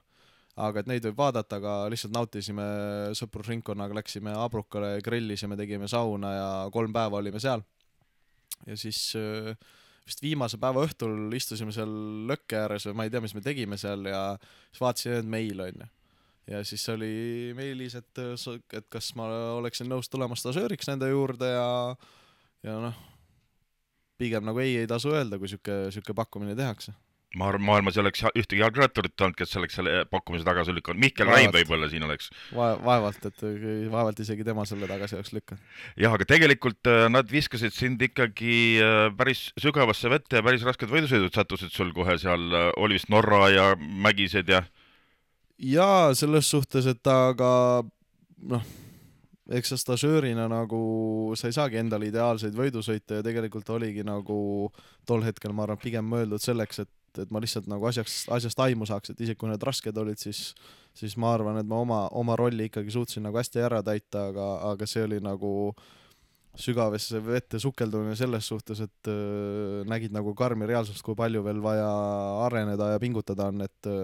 [SPEAKER 3] Aga et neid võib vaadata, aga lihtsalt nautisime sõprusringkonnaga, läksime Abrukale, grillisime, tegime sauna ja kolm päeva olime seal. Ja siis vist viimase päeva õhtul istusime seal lõkke ääres või ma ei tea, mis me tegime seal ja siis vaatasin, et meil on ju. Ja siis oli meilis, et, et kas ma oleksin nõus tulema stažööriks nende juurde ja, ja noh, pigem nagu ei, ei tasu öelda, kui siuke, siuke pakkumine tehakse.
[SPEAKER 1] maailmas ei oleks ühtegi jalgratturit olnud, kes oleks selle pakkumise tagasi lükanud. Mihkel
[SPEAKER 3] Vaevalt.
[SPEAKER 1] Raim võib-olla siin oleks.
[SPEAKER 3] Va vaevalt, et vaevalt isegi tema selle tagasi oleks lükanud.
[SPEAKER 1] Jah, aga tegelikult nad viskasid sind ikkagi päris sügavasse vette ja päris rasked võidusõidud sattusid sul kohe seal, oli vist Norra ja Mägised ja...
[SPEAKER 3] Jaa, selles suhtes, et aga noh, eks sa stažöörina nagu sa ei saagi endale ideaalseid võidusõite ja tegelikult oligi nagu tol hetkel, ma arvan, pigem mõeldud selleks, et et ma lihtsalt nagu asjaks, asjast aimu saaks, et isegi kui need rasked olid, siis, siis ma arvan, et ma oma, oma rolli ikkagi suutsin nagu hästi ära täita, aga, aga see oli nagu sügavesse vette sukeldumine selles suhtes, et äh, nägid nagu karmi reaalsust, kui palju veel vaja areneda ja pingutada on, et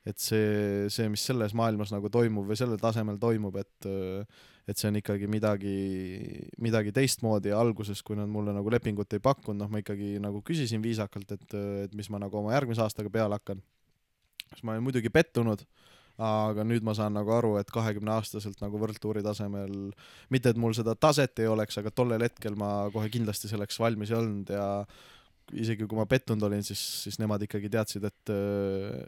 [SPEAKER 3] et see, see, mis selles maailmas nagu toimub või sellel tasemel toimub, et et see on ikkagi midagi, midagi teistmoodi ja alguses, kui nad mulle nagu lepingut ei pakkunud, noh ma ikkagi nagu küsisin viisakalt, et, et mis ma nagu oma järgmise aastaga peale hakkan. Siis ma olen muidugi pettunud, aga nüüd ma saan nagu aru, et kahekümne aastaselt nagu võrdtuuri tasemel, mitte et mul seda taset ei oleks, aga tollel hetkel ma kohe kindlasti selleks valmis ei olnud ja isegi kui ma pettunud olin, siis, siis nemad ikkagi teadsid, et,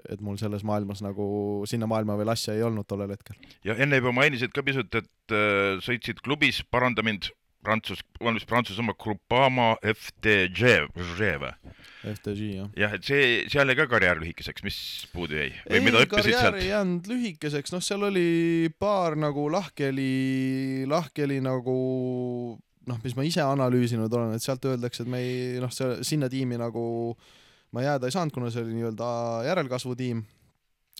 [SPEAKER 3] et mul selles maailmas nagu sinna maailma veel asja ei olnud tollel hetkel.
[SPEAKER 1] Ja enne juba mainisid ka pisut, et äh, sõitsid klubis, paranda mind, Prantsus, valmis Prantsusmaa Groupama F T G või?
[SPEAKER 3] F T G, jah.
[SPEAKER 1] Jah, et see, seal jäi ka karjäär lühikeseks, mis puudu jäi? Või
[SPEAKER 3] ei,
[SPEAKER 1] mida õppisid
[SPEAKER 3] karjäär
[SPEAKER 1] sealt?
[SPEAKER 3] ei jäänud lühikeseks, noh seal oli paar nagu lahkeli, lahkeli nagu noh, mis ma ise analüüsinud olen, et sealt öeldakse, et me ei, noh, see, sinna tiimi nagu ma jääda ei saanud, kuna see oli nii-öelda järelkasvu tiim.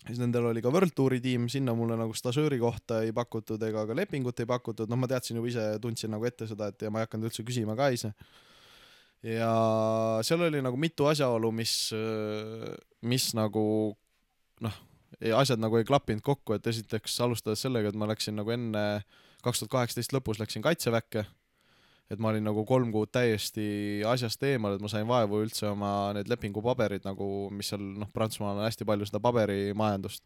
[SPEAKER 3] Siis nendel oli ka World Touri tiim, sinna mulle nagu stažööri kohta ei pakutud ega ka lepingut ei pakutud, noh ma teadsin juba ise, tundsin nagu ette seda, et ja ma ei hakanud üldse küsima ka ise. Ja seal oli nagu mitu asjaolu, mis, mis nagu noh, asjad nagu ei klappinud kokku, et esiteks alustades sellega, et ma läksin nagu enne kaks tuhat kaheksateist lõpus läksin kaitseväkke, et ma olin nagu kolm kuud täiesti asjast eemal, et ma sain vaevu üldse oma need lepingupaberid nagu, mis seal, noh, Prantsusmaal on hästi palju seda paberimajandust.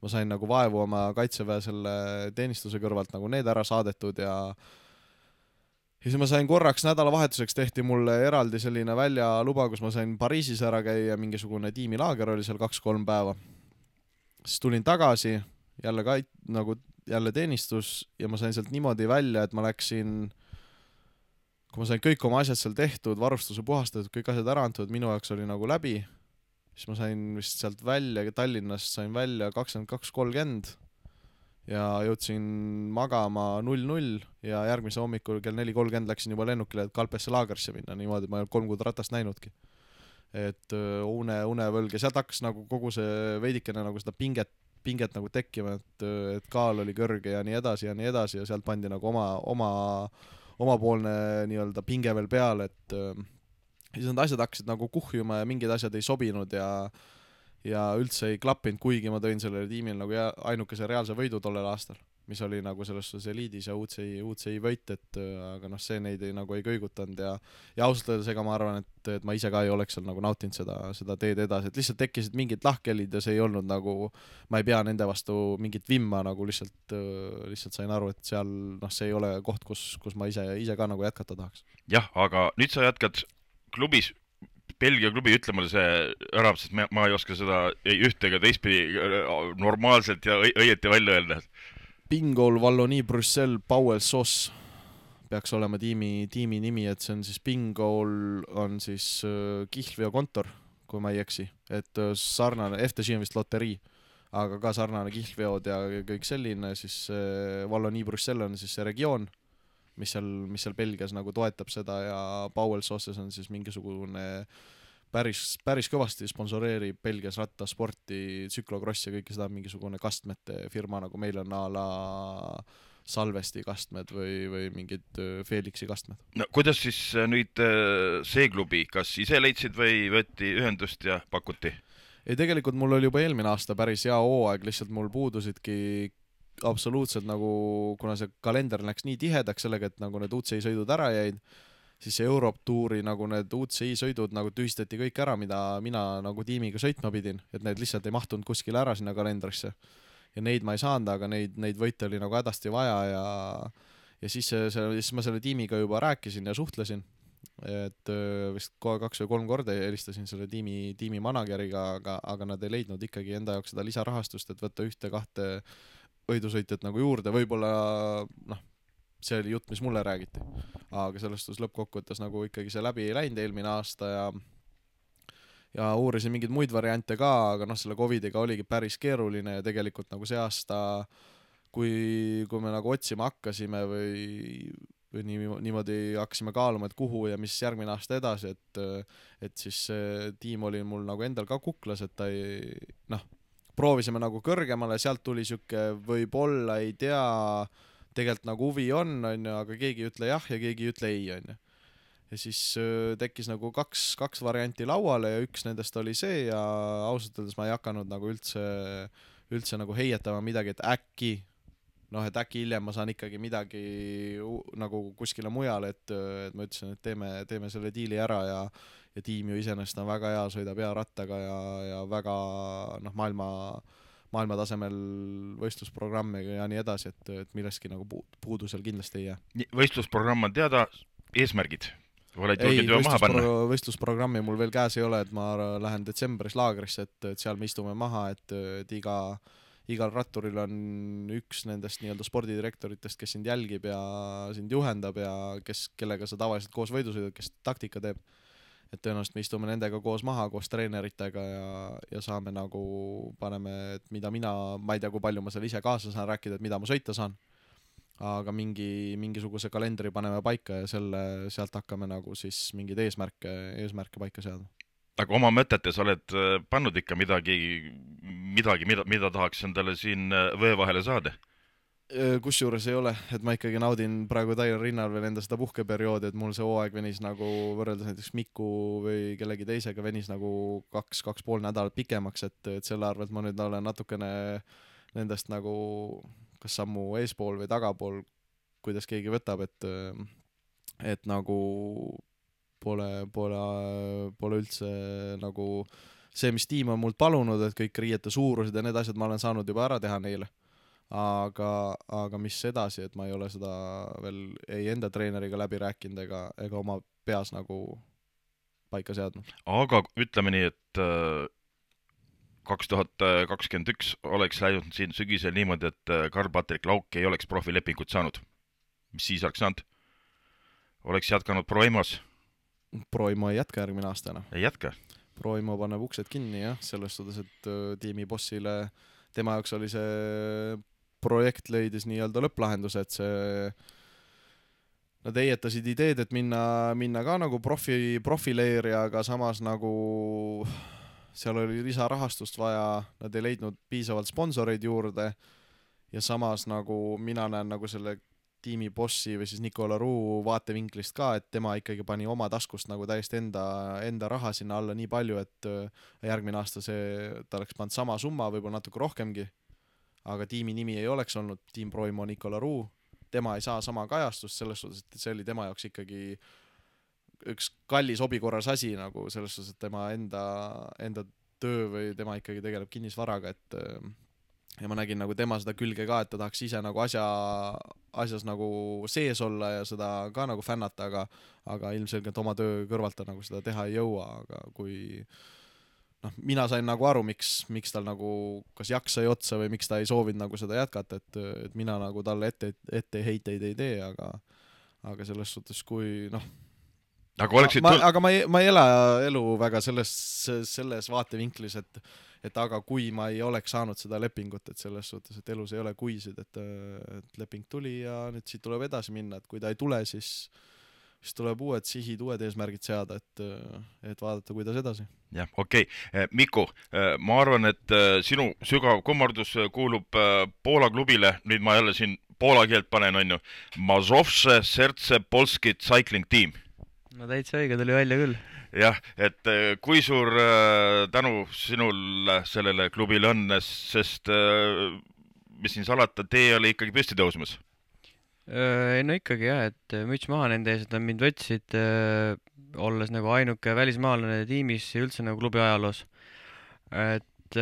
[SPEAKER 3] Ma sain nagu vaevu oma kaitseväe selle teenistuse kõrvalt nagu need ära saadetud ja ja siis ma sain korraks nädalavahetuseks tehti mulle eraldi selline väljaluba, kus ma sain Pariisis ära käia, mingisugune tiimilaager oli seal kaks-kolm päeva. Siis tulin tagasi, jälle ka nagu jälle teenistus ja ma sain sealt niimoodi välja, et ma läksin kui ma sain kõik oma asjad seal tehtud, varustuse puhastatud, kõik asjad ära antud, minu jaoks oli nagu läbi, siis ma sain vist sealt välja, Tallinnast sain välja kakskümmend kaks kolmkümmend ja jõudsin magama null null ja järgmise hommikul kell neli kolmkümmend läksin juba lennukile, et Kalpesse laagrisse minna, niimoodi ma ei olnud kolm kuud ratast näinudki. Et une, unevõlg ja sealt hakkas nagu kogu see veidikene nagu seda pinget, pinget nagu tekkima, et, et kaal oli kõrge ja nii edasi ja nii edasi ja sealt pandi nagu oma, oma omapoolne nii-öelda pinge veel peale, et siis need asjad hakkasid nagu kuhjuma ja mingid asjad ei sobinud ja ja üldse ei klappinud, kuigi ma tõin sellele tiimil nagu ainukese reaalse võidu tollel aastal, mis oli nagu selles suhtes eliidis ja U C I, U C I võit, et aga noh, see neid ei, nagu ei kõigutanud ja ja ausalt öeldes ega ma arvan, et, et ma ise ka ei oleks seal nagu nautinud seda, seda teed edasi, et lihtsalt tekkisid mingid lahkelid ja see ei olnud nagu, ma ei pea nende vastu mingit vimma, nagu lihtsalt, lihtsalt sain aru, et seal noh, see ei ole koht, kus, kus ma ise, ise ka nagu jätkata tahaks.
[SPEAKER 1] Jah, aga nüüd sa jätkad klubis, Belgia klubi, ütle mulle see ära, sest ma, ma ei oska seda ei ühte ega teistpidi normaalselt ja õieti välja öelda.
[SPEAKER 3] Bingol Wallonie Bruxelles Powell Sauce peaks olema tiimi, tiimi nimi, et see on siis Bingol on siis äh, kihlveokontor, kui ma ei eksi, et äh, sarnane, F T G on vist loterii, aga ka sarnane kihlveod ja kõik selline, siis äh, Wallonie Bruxelles on siis see regioon, mis seal, mis seal Belgias nagu toetab seda ja Powell Sauces on siis mingisugune päris, päris kõvasti sponsoreerib Belgias rattasporti, tsüklokross ja kõike seda mingisugune kastmete firma, nagu meil on a la Salvesti kastmed või, või mingid Felixi kastmed.
[SPEAKER 1] No kuidas siis nüüd see klubi, kas ise leidsid või võeti ühendust ja pakuti?
[SPEAKER 3] Ei, tegelikult mul oli juba eelmine aasta päris hea hooaeg, lihtsalt mul puudusidki absoluutselt nagu, kuna see kalender läks nii tihedaks sellega, et nagu need U C I sõidud ära jäid, siis see Europe Touri nagu need U C I sõidud nagu tühistati kõik ära, mida mina nagu tiimiga sõitma pidin, et need lihtsalt ei mahtunud kuskile ära sinna kalendrisse. Ja neid ma ei saanud, aga neid, neid võite oli nagu hädasti vaja ja, ja siis, see, siis ma selle tiimiga juba rääkisin ja suhtlesin et öö, vist kohe kaks või kolm korda helistasin selle tiimi, tiimi manageriga, aga, aga nad ei leidnud ikkagi enda jaoks seda lisarahastust, et võtta ühte-kahte võidusõitjat nagu juurde, võib-olla noh, see oli jutt, mis mulle räägiti, aga selles suhtes lõppkokkuvõttes nagu ikkagi see läbi ei läinud eelmine aasta ja ja uurisin mingeid muid variante ka, aga noh, selle Covidiga oligi päris keeruline ja tegelikult nagu see aasta, kui, kui me nagu otsima hakkasime või või nii, niimoodi hakkasime kaaluma, et kuhu ja mis järgmine aasta edasi, et et siis see tiim oli mul nagu endal ka kuklas, et ta ei, noh, proovisime nagu kõrgemale, sealt tuli siuke võib-olla, ei tea, tegelikult nagu huvi on, on ju, aga keegi ei ütle jah ja keegi ei ütle ei, on ju. Ja siis tekkis nagu kaks, kaks varianti lauale ja üks nendest oli see ja ausalt öeldes ma ei hakanud nagu üldse, üldse nagu heietama midagi, et äkki noh, et äkki hiljem ma saan ikkagi midagi nagu kuskile mujale, et, et ma ütlesin, et teeme, teeme selle diili ära ja, ja tiim ju iseenesest on väga hea, sõidab hea rattaga ja, ja väga noh, maailma, maailma tasemel võistlusprogrammiga ja nii edasi, et, et millestki nagu puudu seal kindlasti ei jää.
[SPEAKER 1] Võistlusprogramm on teada, eesmärgid? Oled julged juba maha panna?
[SPEAKER 3] Võistlusprogrammi mul veel käes ei ole, et ma lähen detsembris laagrisse, et, et seal me istume maha, et, et iga igal ratturil on üks nendest nii-öelda spordidirektoritest, kes sind jälgib ja sind juhendab ja kes, kellega sa tavaliselt koos võidusõidud, kes taktika teeb. Et tõenäoliselt me istume nendega koos maha, koos treeneritega ja, ja saame nagu, paneme, et mida mina, ma ei tea, kui palju ma seal ise kaasa saan rääkida, et mida ma sõita saan. Aga mingi, mingisuguse kalendri paneme paika ja selle, sealt hakkame nagu siis mingeid eesmärke, eesmärke paika seada.
[SPEAKER 1] Aga oma mõtetes oled pannud ikka midagi, midagi, mida, mida tahaks endale siin vöö vahele saada?
[SPEAKER 3] Kusjuures ei ole, et ma ikkagi naudin praegu täiel rinnal veel enda seda puhkeperioodi, et mul see hooaeg venis nagu võrreldes näiteks Miku või kellegi teisega venis nagu kaks, kaks pool nädalat pikemaks, et, et selle arvelt ma nüüd olen natukene nendest nagu kas sammu eespool või tagapool, kuidas keegi võtab, et, et nagu Pole, pole, pole üldse nagu see, mis tiim on mult palunud, et kõik riiete suurused ja need asjad ma olen saanud juba ära teha neile. Aga, aga mis edasi, et ma ei ole seda veel ei enda treeneriga läbi rääkinud ega, ega oma peas nagu paika seadnud.
[SPEAKER 1] Aga ütleme nii, et kaks tuhat kakskümmend üks oleks läinud siin sügisel niimoodi, et Karl-Patrik Lauk ei oleks profilepingut saanud. Mis siis oleks saanud? Oleks jätkanud Proimos?
[SPEAKER 3] Proimo ei jätka järgmine aasta enam.
[SPEAKER 1] Ei jätka?
[SPEAKER 3] Proimo paneb uksed kinni, jah, selles suhtes, et tiimi bossile, tema jaoks oli see projekt leidis nii-öelda lõpplahendus, et see nad eietasid ideed, et minna, minna ka nagu profi, profileeri, aga samas nagu seal oli lisarahastust vaja, nad ei leidnud piisavalt sponsoreid juurde ja samas nagu mina näen nagu selle tiimi bossi või siis Nicola Roux vaatevinklist ka, et tema ikkagi pani oma taskust nagu täiesti enda, enda raha sinna alla nii palju, et järgmine aasta see, ta oleks pannud sama summa, võib-olla natuke rohkemgi, aga tiimi nimi ei oleks olnud Team Proimo Nicola Roux, tema ei saa sama kajastust selles suhtes, et see oli tema jaoks ikkagi üks kallis hobikorras asi nagu selles suhtes, et tema enda, enda töö või tema ikkagi tegeleb kinnisvaraga, et ja ma nägin nagu tema seda külge ka, et ta tahaks ise nagu asja, asjas nagu sees olla ja seda ka nagu fännata, aga, aga ilmselgelt oma töö kõrvalt ta nagu seda teha ei jõua, aga kui noh, mina sain nagu aru, miks, miks tal nagu kas jaksa ei otsa või miks ta ei soovinud nagu seda jätkata, et, et mina nagu talle ette, ette heiteid ei tee, aga, aga selles suhtes, kui noh,
[SPEAKER 1] aga, oleksid...
[SPEAKER 3] ma, aga ma ei, ma ei ela elu väga selles, selles vaatevinklis, et et aga kui ma ei oleks saanud seda lepingut, et selles suhtes, et elus ei ole kuisid, et, et leping tuli ja nüüd siit tuleb edasi minna, et kui ta ei tule, siis, siis tuleb uued sihid, uued eesmärgid seada, et, et vaadata, kuidas edasi.
[SPEAKER 1] Jah, okei. Okay. Miku, ma arvan, et sinu sügav kummardus kuulub Poola klubile, nüüd ma jälle siin poola keelt panen, on ju, Mazowsze Serce Polski Cycling Team.
[SPEAKER 2] No täitsa õige, tuli välja küll.
[SPEAKER 1] Jah, et kui suur tänu sinul sellele klubile on, sest mis siin salata, tee oli ikkagi püsti tõusmas?
[SPEAKER 2] No ikkagi jah, et müts maha nende ees, et nad mind võtsid, olles nagu ainuke välismaalane tiimis ja üldse nagu klubi ajaloos. Et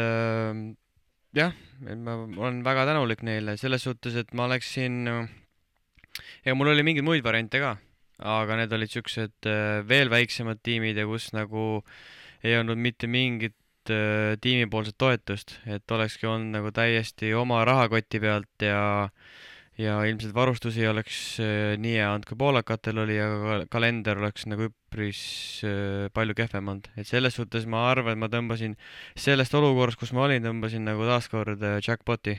[SPEAKER 2] jah, et ma olen väga tänulik neile selles suhtes, et ma läksin, ja mul oli mingeid muid variante ka. aga need olid siuksed äh, veel väiksemad tiimid ja kus nagu ei olnud mitte mingit äh, tiimipoolset toetust, et olekski olnud nagu täiesti oma rahakoti pealt ja ja ilmselt varustusi oleks äh, nii hea olnud kui poolakatel oli, aga ka- kalender oleks nagu üpris äh, palju kehvem olnud. et selles suhtes ma arvan, et ma tõmbasin sellest olukorrast, kus ma olin, tõmbasin nagu taaskord äh, jackpoti.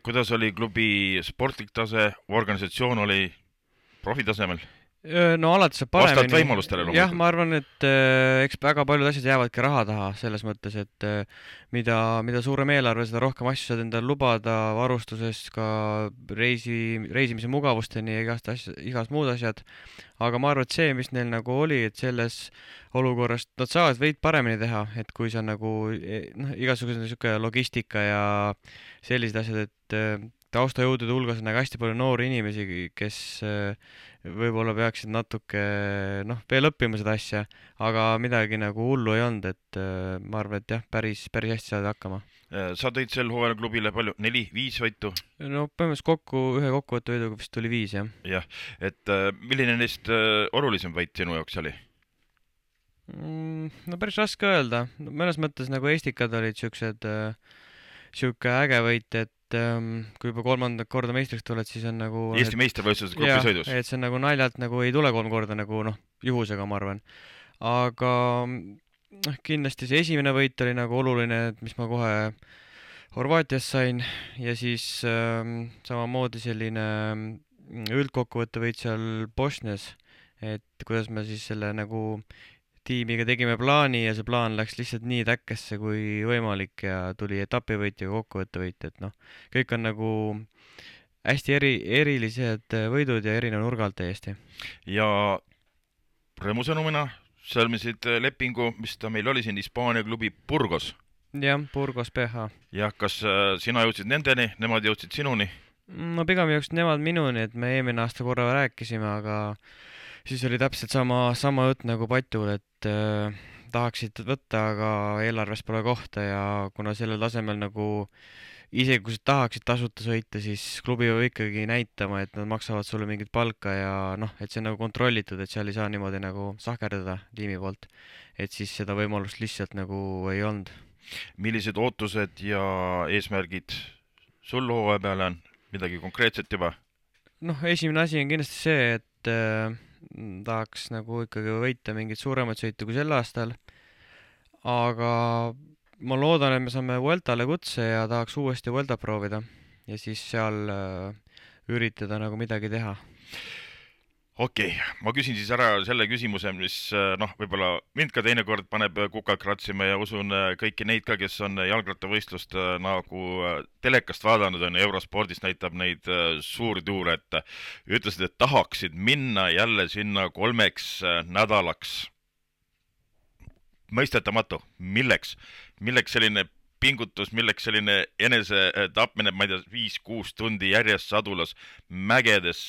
[SPEAKER 1] Kuidas oli klubi sportlik tase, organisatsioon oli profitasemel?
[SPEAKER 2] Öö, no alati saab
[SPEAKER 1] Vastavalt
[SPEAKER 2] paremini.
[SPEAKER 1] võimalustele
[SPEAKER 2] jah,
[SPEAKER 1] loomulikult.
[SPEAKER 2] ma arvan, et äh, eks väga paljud asjad jäävadki raha taha selles mõttes, et äh, mida, mida suurem eelarve, seda rohkem asju saad endale lubada varustuses, ka reisi, reisimise mugavusteni ja igast asja, igast muud asjad. aga ma arvan, et see, mis neil nagu oli, et selles olukorras nad saavad veid paremini teha, et kui sa nagu eh, noh, igasugune sihuke logistika ja sellised asjad, et äh, taustajõudude hulgas on nagu hästi palju noori inimesi, kes äh, võib-olla peaksid natuke noh, veel õppima seda asja, aga midagi nagu hullu ei olnud, et äh, ma arvan, et jah, päris, päris hästi saad hakkama.
[SPEAKER 1] Sa tõid sel hooajal klubile palju, neli, viis võitu?
[SPEAKER 2] no põhimõtteliselt kokku ühe kokkuvõtte võiduga vist tuli viis, jah.
[SPEAKER 1] jah, et äh, milline neist äh, olulisem võit sinu jaoks oli?
[SPEAKER 2] Mm, no päris raske öelda, no, mõnes mõttes nagu Estikad olid siuksed äh, siuke äge võit, et ähm, kui juba kolmandat korda meistriks tuled, siis on nagu
[SPEAKER 1] Eesti meistrivõistluses
[SPEAKER 2] jah,
[SPEAKER 1] grupisõidus?
[SPEAKER 2] et see on nagu naljalt nagu ei tule kolm korda nagu noh, juhusega ma arvan. aga noh, kindlasti see esimene võit oli nagu oluline, et mis ma kohe Horvaatias sain ja siis ähm, samamoodi selline mm, üldkokkuvõtte võit seal Bosnias, et kuidas me siis selle nagu tiimiga tegime plaani ja see plaan läks lihtsalt nii täkkesse kui võimalik ja tuli etapivõit ja kokkuvõttevõit, et noh, kõik on nagu hästi eri, erilised võidud ja erineva nurga alt täiesti.
[SPEAKER 1] ja rõõmusõnumina sõlmisid lepingu, mis ta meil oli siin, Hispaania klubi Burgos.
[SPEAKER 2] jah, Burgos P H.
[SPEAKER 1] jah, kas äh, sina jõudsid nendeni, nemad jõudsid sinuni?
[SPEAKER 2] no pigem jõudsid nemad minuni, et me eelmine aasta korra rääkisime, aga siis oli täpselt sama, sama jutt nagu Patul, et äh, tahaksid võtta, aga eelarves pole kohta ja kuna sellel tasemel nagu isegi kui sa tahaksid tasuta sõita, siis klubi peab ikkagi näitama, et nad maksavad sulle mingit palka ja noh, et see on nagu kontrollitud, et seal ei saa niimoodi nagu sahkerdada tiimi poolt. et siis seda võimalust lihtsalt nagu ei olnud.
[SPEAKER 1] millised ootused ja eesmärgid sul hooaja peale on? Midagi konkreetset juba?
[SPEAKER 2] noh, esimene asi on kindlasti see, et äh, tahaks nagu ikkagi võita mingeid suuremaid sõite kui sel aastal, aga ma loodan, et me saame Vueltale kutse ja tahaks uuesti Vuelta proovida ja siis seal äh, üritada nagu midagi teha.
[SPEAKER 1] okei okay., ma küsin siis ära selle küsimuse, mis äh, noh, võib-olla mind ka teinekord paneb kukalt kratsima ja usun äh, kõiki neid ka, kes on jalgrattavõistlust äh, nagu äh, telekast vaadanud on ja Eurospordis näitab neid äh, suuri tuure, et äh, ütlesid, et tahaksid minna jälle sinna kolmeks äh, nädalaks. mõistetamatu, milleks, milleks selline pingutus, milleks selline enesetapmine, ma ei tea, viis-kuus tundi järjest sadulas, mägedes,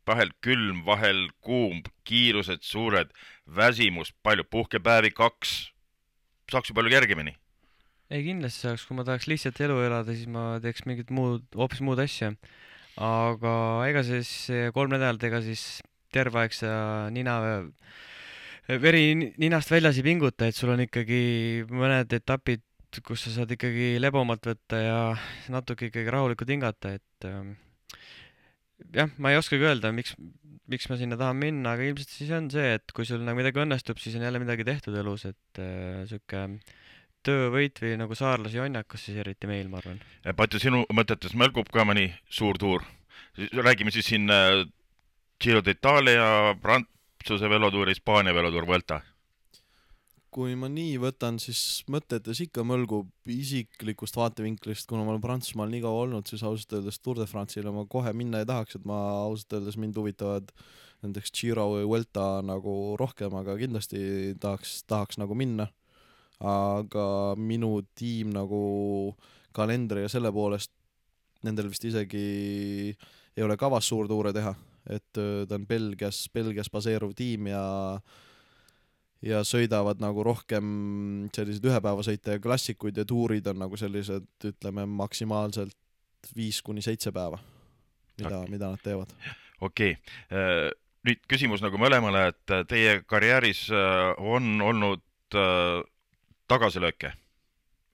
[SPEAKER 1] vahel külm, vahel kuum, kiirused suured, väsimus, palju, puhkepäevi kaks, saaks ju palju kergemini.
[SPEAKER 2] ei, kindlasti saaks, kui ma tahaks lihtsalt elu elada, siis ma teeks mingit muud, hoopis muud asja. aga ega siis see kolm nädalat, ega siis terve aeg sa nina veri ninast väljas ei pinguta, et sul on ikkagi mõned etapid, kus sa saad ikkagi lebomalt võtta ja natuke ikkagi rahulikult hingata, et ähm, jah, ma ei oskagi öelda, miks, miks ma sinna tahan minna, aga ilmselt siis on see, et kui sul nagu midagi õnnestub, siis on jälle midagi tehtud elus, et äh, sihuke töövõit või nagu saarlase jonnakas siis eriti meil, ma arvan.
[SPEAKER 1] Patju, sinu mõtetes mõlgub ka mõni suur tuur? Räägime siis siin äh, Giro d'Italia, Prantsuse velotuur, Hispaania velotuur, Vuelta.
[SPEAKER 3] kui ma nii võtan, siis mõtetes ikka mõlgub isiklikust vaatevinklist, kuna ma olen Prantsusmaal nii kaua olnud, siis ausalt öeldes Tour de France'ile ma kohe minna ei tahaks, et ma ausalt öeldes mind huvitavad nendeks Giro või Vuelta nagu rohkem, aga kindlasti tahaks, tahaks nagu minna. aga minu tiim nagu kalendri ja selle poolest nendel vist isegi ei ole kavas suurtuure teha, et ta on Belgias, Belgias baseeruv tiim ja ja sõidavad nagu rohkem sellised ühepäevasõite ja klassikuid ja tuurid on nagu sellised, ütleme, maksimaalselt viis kuni seitse päeva, mida, mida nad teevad.
[SPEAKER 1] okei okay., nüüd küsimus nagu mõlemale, et teie karjääris on olnud tagasilööke.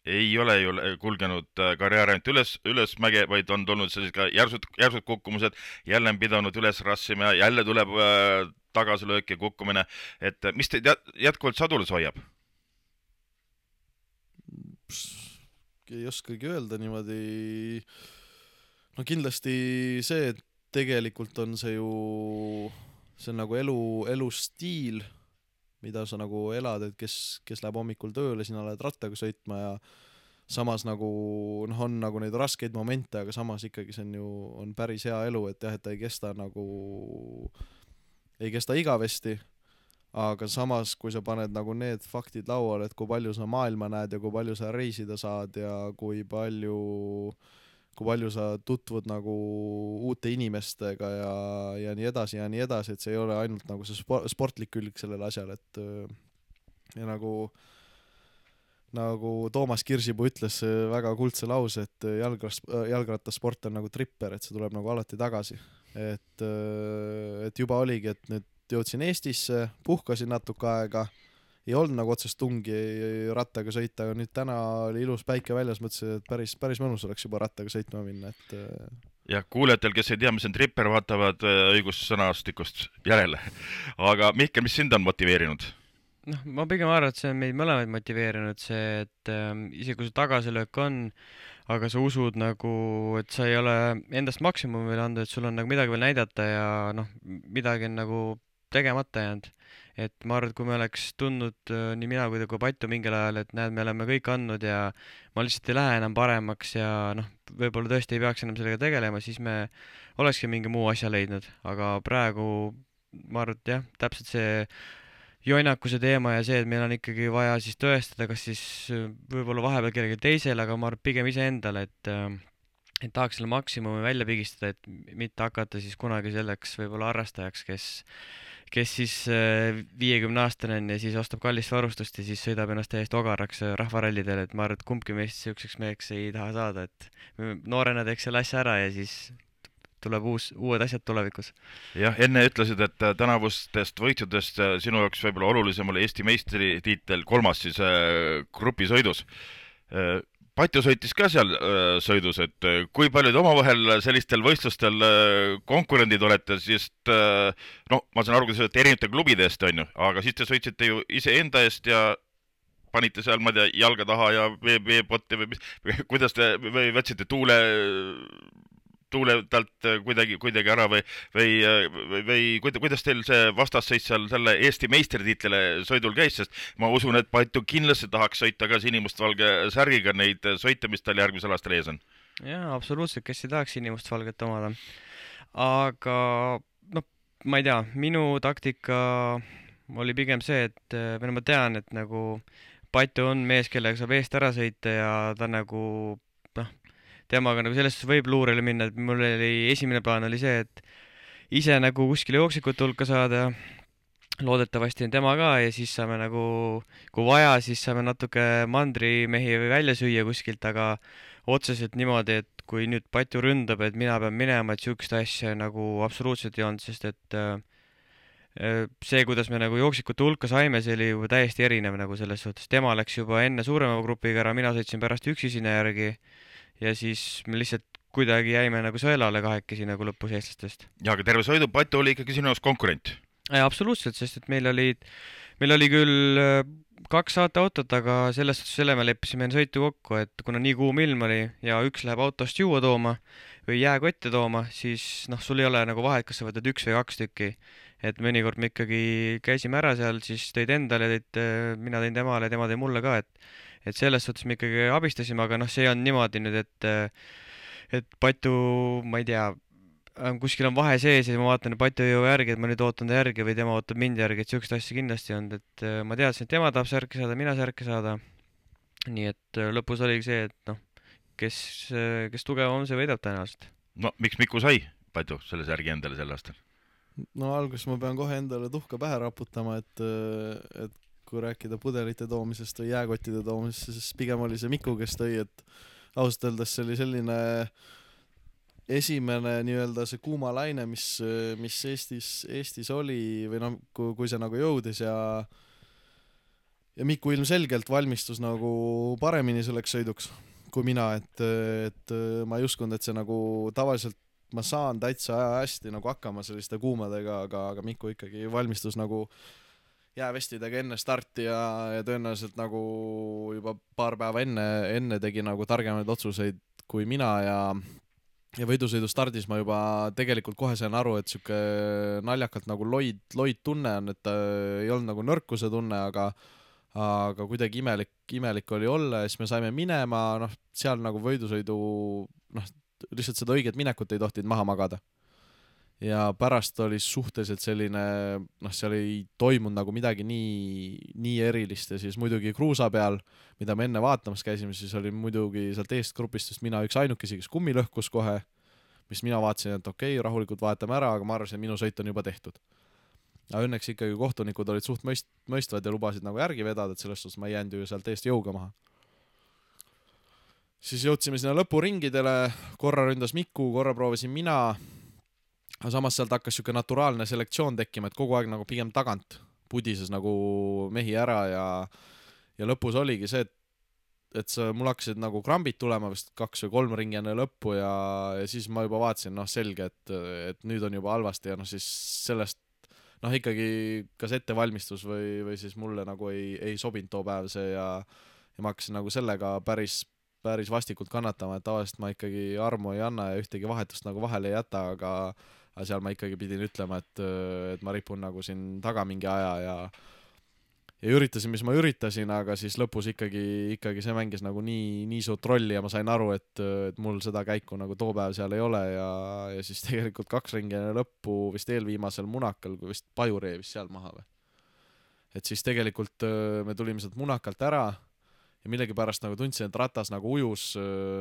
[SPEAKER 1] Ei ole ju kulgenud karjäär ainult üles, ülesmäge, vaid on tulnud sellised ka järsud, järsud kukkumused, jälle on pidanud üles rassima, jälle tuleb tagasilöök ja kukkumine. Et mis teid jätkuvalt sadulis hoiab?
[SPEAKER 3] Ei oskagi öelda niimoodi. No kindlasti see, et tegelikult on see ju, see on nagu elu, elustiil, mida sa nagu elad, et kes, kes läheb hommikul tööle, sina lähed rattaga sõitma ja samas nagu, noh, on nagu neid raskeid momente, aga samas ikkagi see on ju, on päris hea elu, et jah, et ta ei kesta nagu, ei kesta igavesti, aga samas, kui sa paned nagu need faktid lauale, et kui palju sa maailma näed ja kui palju sa reisida saad ja kui palju kui palju sa tutvud nagu uute inimestega ja, ja nii edasi ja nii edasi, et see ei ole ainult nagu see sportlik külg sellel asjal, et ja nagu nagu Toomas Kirsipuu ütles väga kuldse lause, et jalgrast, jalgrattasport on nagu tripper, et see tuleb nagu alati tagasi. Et, et juba oligi, et nüüd jõudsin Eestisse, puhkasin natuke aega, ei olnud nagu otsest tungi rattaga sõita, aga nüüd täna oli ilus päike väljas, mõtlesin, et päris, päris mõnus oleks juba rattaga sõitma minna. Et...
[SPEAKER 1] Ja kuulejatel, kes ei tea, mis on tripper, vaatavad õigussõnastikust järele. Aga Mihkel, mis sind on motiveerinud?
[SPEAKER 2] noh, ma pigem arvan, et see on meid mõlemaid motiveerinud, see, et ähm, isegi kui see tagasilöök on, aga sa usud nagu, et sa ei ole endast maksimumi veel andnud, et sul on nagu midagi veel näidata ja noh, midagi on nagu tegemata jäänud. Et ma arvan, et kui me oleks tundnud äh, nii mina kui, kui Pattu mingil ajal, et näed, me oleme kõik andnud ja ma lihtsalt ei lähe enam paremaks ja noh, võib-olla tõesti ei peaks enam sellega tegelema, siis me olekski mingi muu asja leidnud, aga praegu ma arvan, et jah, täpselt see joinakuse teema ja see, et meil on ikkagi vaja siis tõestada, kas siis võib-olla vahepeal kellelgi teisel, aga ma arvan pigem iseendale, et et tahaks selle maksimumi välja pigistada, et mitte hakata siis kunagi selleks võib-olla harrastajaks, kes kes siis viiekümne aastane on ja siis ostab kallist varustust ja siis sõidab ennast täiesti ogaraks rahvarallidel, et ma arvan, et kumbki meist selliseks meheks ei taha saada, et noorena teeks selle asja ära ja siis tuleb uus, uued asjad tulevikus.
[SPEAKER 1] Jah, enne ütlesid, et tänavustest võitjudest sinu jaoks võib-olla olulisem oli Eesti meistritiitel kolmas siis grupisõidus. Patju sõitis ka seal äh, sõidus, et äh, kui paljud omavahel sellistel võistlustel äh, konkurendid olete, sest äh, no ma saan aru, et erinevate klubide eest on ju, aga siis te sõitsite ju iseenda eest ja panite seal, ma tea, jalga taha ja veepotti või mis, kuidas te või võtsite tuule tuule talt kuidagi, kuidagi ära või, või, või, või kuidas teil see vastasseis seal selle Eesti meistritiitlile sõidul käis, sest ma usun, et Patju kindlasti tahaks sõita ka sinimustvalge särgiga neid sõite, mis tal järgmisel aastal ees on.
[SPEAKER 2] Jaa, absoluutselt, kes ei tahaks sinimustvalget omada. Aga noh, ma ei tea, minu taktika oli pigem see, et või ma tean, et nagu Patju on mees, kellega saab eest ära sõita ja ta nagu temaga nagu selles suhtes võib luurele minna, et mul oli esimene plaan oli see, et ise nagu kuskile jooksikute hulka saada, loodetavasti on tema ka ja siis saame nagu, kui vaja, siis saame natuke mandrimehi välja süüa kuskilt, aga otseselt niimoodi, et kui nüüd Patju ründab, et mina pean minema, et siukest asja nagu absoluutselt ei olnud, sest et see, kuidas me nagu jooksikute hulka saime, see oli juba täiesti erinev nagu selles suhtes. Tema läks juba enne suurema grupiga ära, mina sõitsin pärast üksi sinna järgi ja siis me lihtsalt kuidagi jäime nagu sõelale kahekesi nagu lõpus eestlastest.
[SPEAKER 1] Ja, aga terve sõidu Patju oli ikkagi sinu jaoks konkurent?
[SPEAKER 2] Ja, absoluutselt, sest et meil oli, meil oli küll kaks saateautot, aga selles suhtes selle me leppisime sõitu kokku, et kuna nii kuum ilm oli ja üks läheb autost juua tooma või jääkotte tooma, siis noh, sul ei ole nagu vahet, kas sa võtad üks või kaks tükki. Et mõnikord me ikkagi käisime ära seal, siis tõid endale, tõid, mina tõin temale, tema tõi mulle ka, et et selles suhtes me ikkagi abistasime, aga noh, see on niimoodi nüüd, et et Patju, ma ei tea, kuskil on vahe sees ja ma vaatan, et Patju ei jõua järgi, et ma nüüd ootan ta järgi või tema ootab mind järgi, et siukest asja kindlasti on, et ma teadsin, et tema tahab särki saada, mina särki saada. Nii et lõpus oligi see, et noh, kes, kes tugevam, see võidab tõenäoliselt.
[SPEAKER 1] No miks Miku sai Patju selle särgi endale sel aastal?
[SPEAKER 3] No alguses ma pean kohe endale tuhka pähe raputama, et, et kui rääkida pudelite toomisest või jääkottide toomisest, siis pigem oli see Miku, kes tõi, et ausalt öeldes see oli selline esimene nii-öelda see kuumalaine, mis, mis Eestis, Eestis oli või noh, kui, kui see nagu jõudis ja ja Miku ilmselgelt valmistus nagu paremini selleks sõiduks kui mina, et, et ma ei uskunud, et see nagu tavaliselt ma saan täitsa hästi nagu hakkama selliste kuumadega, aga, aga Miku ikkagi valmistus nagu jäävestidega enne starti ja, ja tõenäoliselt nagu juba paar päeva enne, enne tegi nagu targemaid otsuseid kui mina ja ja võidusõidu stardis ma juba tegelikult kohe sain aru, et siuke naljakalt nagu loid, loid tunne on, et ei olnud nagu nõrkuse tunne, aga aga kuidagi imelik, imelik oli olla ja siis me saime minema, noh, seal nagu võidusõidu, noh, lihtsalt seda õiget minekut ei tohtinud maha magada. Ja pärast oli suhteliselt selline, noh, seal ei toimunud nagu midagi nii, nii erilist ja siis muidugi kruusa peal, mida me enne vaatamas käisime, siis oli muidugi sealt eest grupist just mina üks ainukesi, kes kummi lõhkus kohe, mis mina vaatasin, et okei, okay, rahulikult vaatame ära, aga ma arvasin, et minu sõit on juba tehtud. Aga õnneks ikkagi kohtunikud olid suht mõist, mõistvad ja lubasid nagu järgi vedada, et selles suhtes ma ei jäänud ju sealt eest jõuga maha. Siis jõudsime sinna lõpuringidele, korra ründas Miku, korra proovisin mina, aga samas sealt hakkas siuke naturaalne selektsioon tekkima, et kogu aeg nagu pigem tagant pudises nagu mehi ära ja, ja lõpus oligi see, et, et see, mul hakkasid nagu krambid tulema vist kaks või kolm ringi enne lõppu ja, ja siis ma juba vaatasin, noh selge, et, et nüüd on juba halvasti ja noh siis sellest noh ikkagi kas ettevalmistus või, või siis mulle nagu ei, ei sobinud too päev see ja, ja ma hakkasin nagu sellega päris, päris vastikult kannatama, et tavaliselt ma ikkagi armu ei anna ja ühtegi vahetust nagu vahele ei jäta, aga, aga seal ma ikkagi pidin ütlema, et, et ma ripun nagu siin taga mingi aja ja ja üritasin, mis ma üritasin, aga siis lõpus ikkagi, ikkagi see mängis nagu nii, nii suurt rolli ja ma sain aru, et, et mul seda käiku nagu too päev seal ei ole ja, ja siis tegelikult kaks ringi lõppu vist eelviimasel munakal, kui vist Pajur jäi vist seal maha või. Et siis tegelikult me tulime sealt munakalt ära ja millegipärast nagu tundsin, et ratas nagu ujus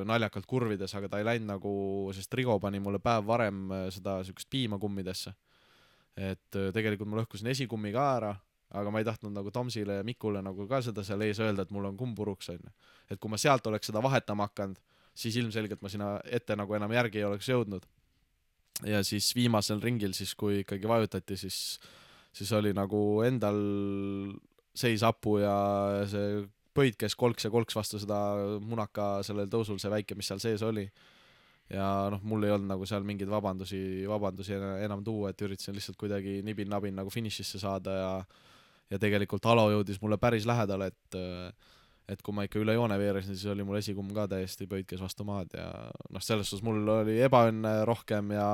[SPEAKER 3] naljakalt kurvides, aga ta ei läinud nagu, sest Rigo pani mulle päev varem seda sükest piima kummidesse. Et tegelikult ma lõhkusin esikummi ka ära, aga ma ei tahtnud nagu Tomsile ja Mikule nagu ka seda seal ees öelda, et mul on kumm puruks on. Et kui ma sealt oleks seda vahetama hakanud, siis ilmselgelt ma sinna ette nagu enam järgi ei oleks jõudnud. Ja siis viimasel ringil, siis kui ikkagi vajutati, siis, siis oli nagu endal seis apu ja see pöid käis kolks ja kolks vastu seda munaka sellel tõusul, see väike, mis seal sees oli. Ja noh, mul ei olnud nagu seal mingeid vabandusi, vabandusi enam tuua, et üritasin lihtsalt kuidagi nibin-nabin nagu finišisse saada ja ja tegelikult Alo jõudis mulle päris lähedale, et et kui ma ikka üle joone veerasin, siis oli mul esikumm ka täiesti pöid käis vastu maad ja noh, selles suhtes mul oli ebaõnne rohkem ja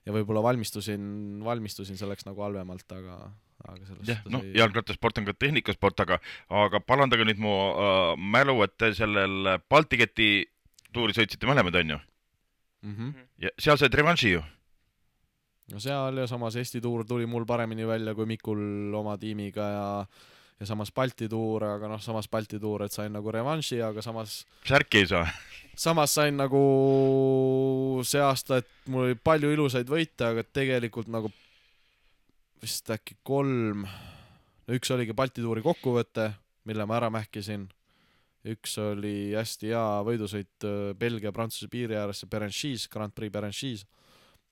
[SPEAKER 3] ja võib-olla valmistusin, valmistusin selleks nagu halvemalt, aga aga selles
[SPEAKER 1] jah, noh, jalgrattasport on ka tehnikasport, aga aga parandage nüüd mu äh, mälu, et sellel Balti keti tuuri sõitsite mõlemad, on ju?
[SPEAKER 3] Mm-hmm.
[SPEAKER 1] Ja seal said revanši ju?
[SPEAKER 3] No seal ja samas Eesti tuur tuli mul paremini välja kui Mikul oma tiimiga ja, ja samas Balti tuur, aga noh, samas Balti tuur, et sain nagu revanši, aga samas
[SPEAKER 1] särki ei saa.
[SPEAKER 3] Samas sain nagu see aasta, et mul oli palju ilusaid võite, aga tegelikult nagu vist äkki kolm, no üks oligi Balti tuuri kokkuvõte, mille ma ära mähkisin. Üks oli hästi hea võidusõit Belgia-Prantsuse piiri ääresse Berenchis, Grand Prix Berenchis,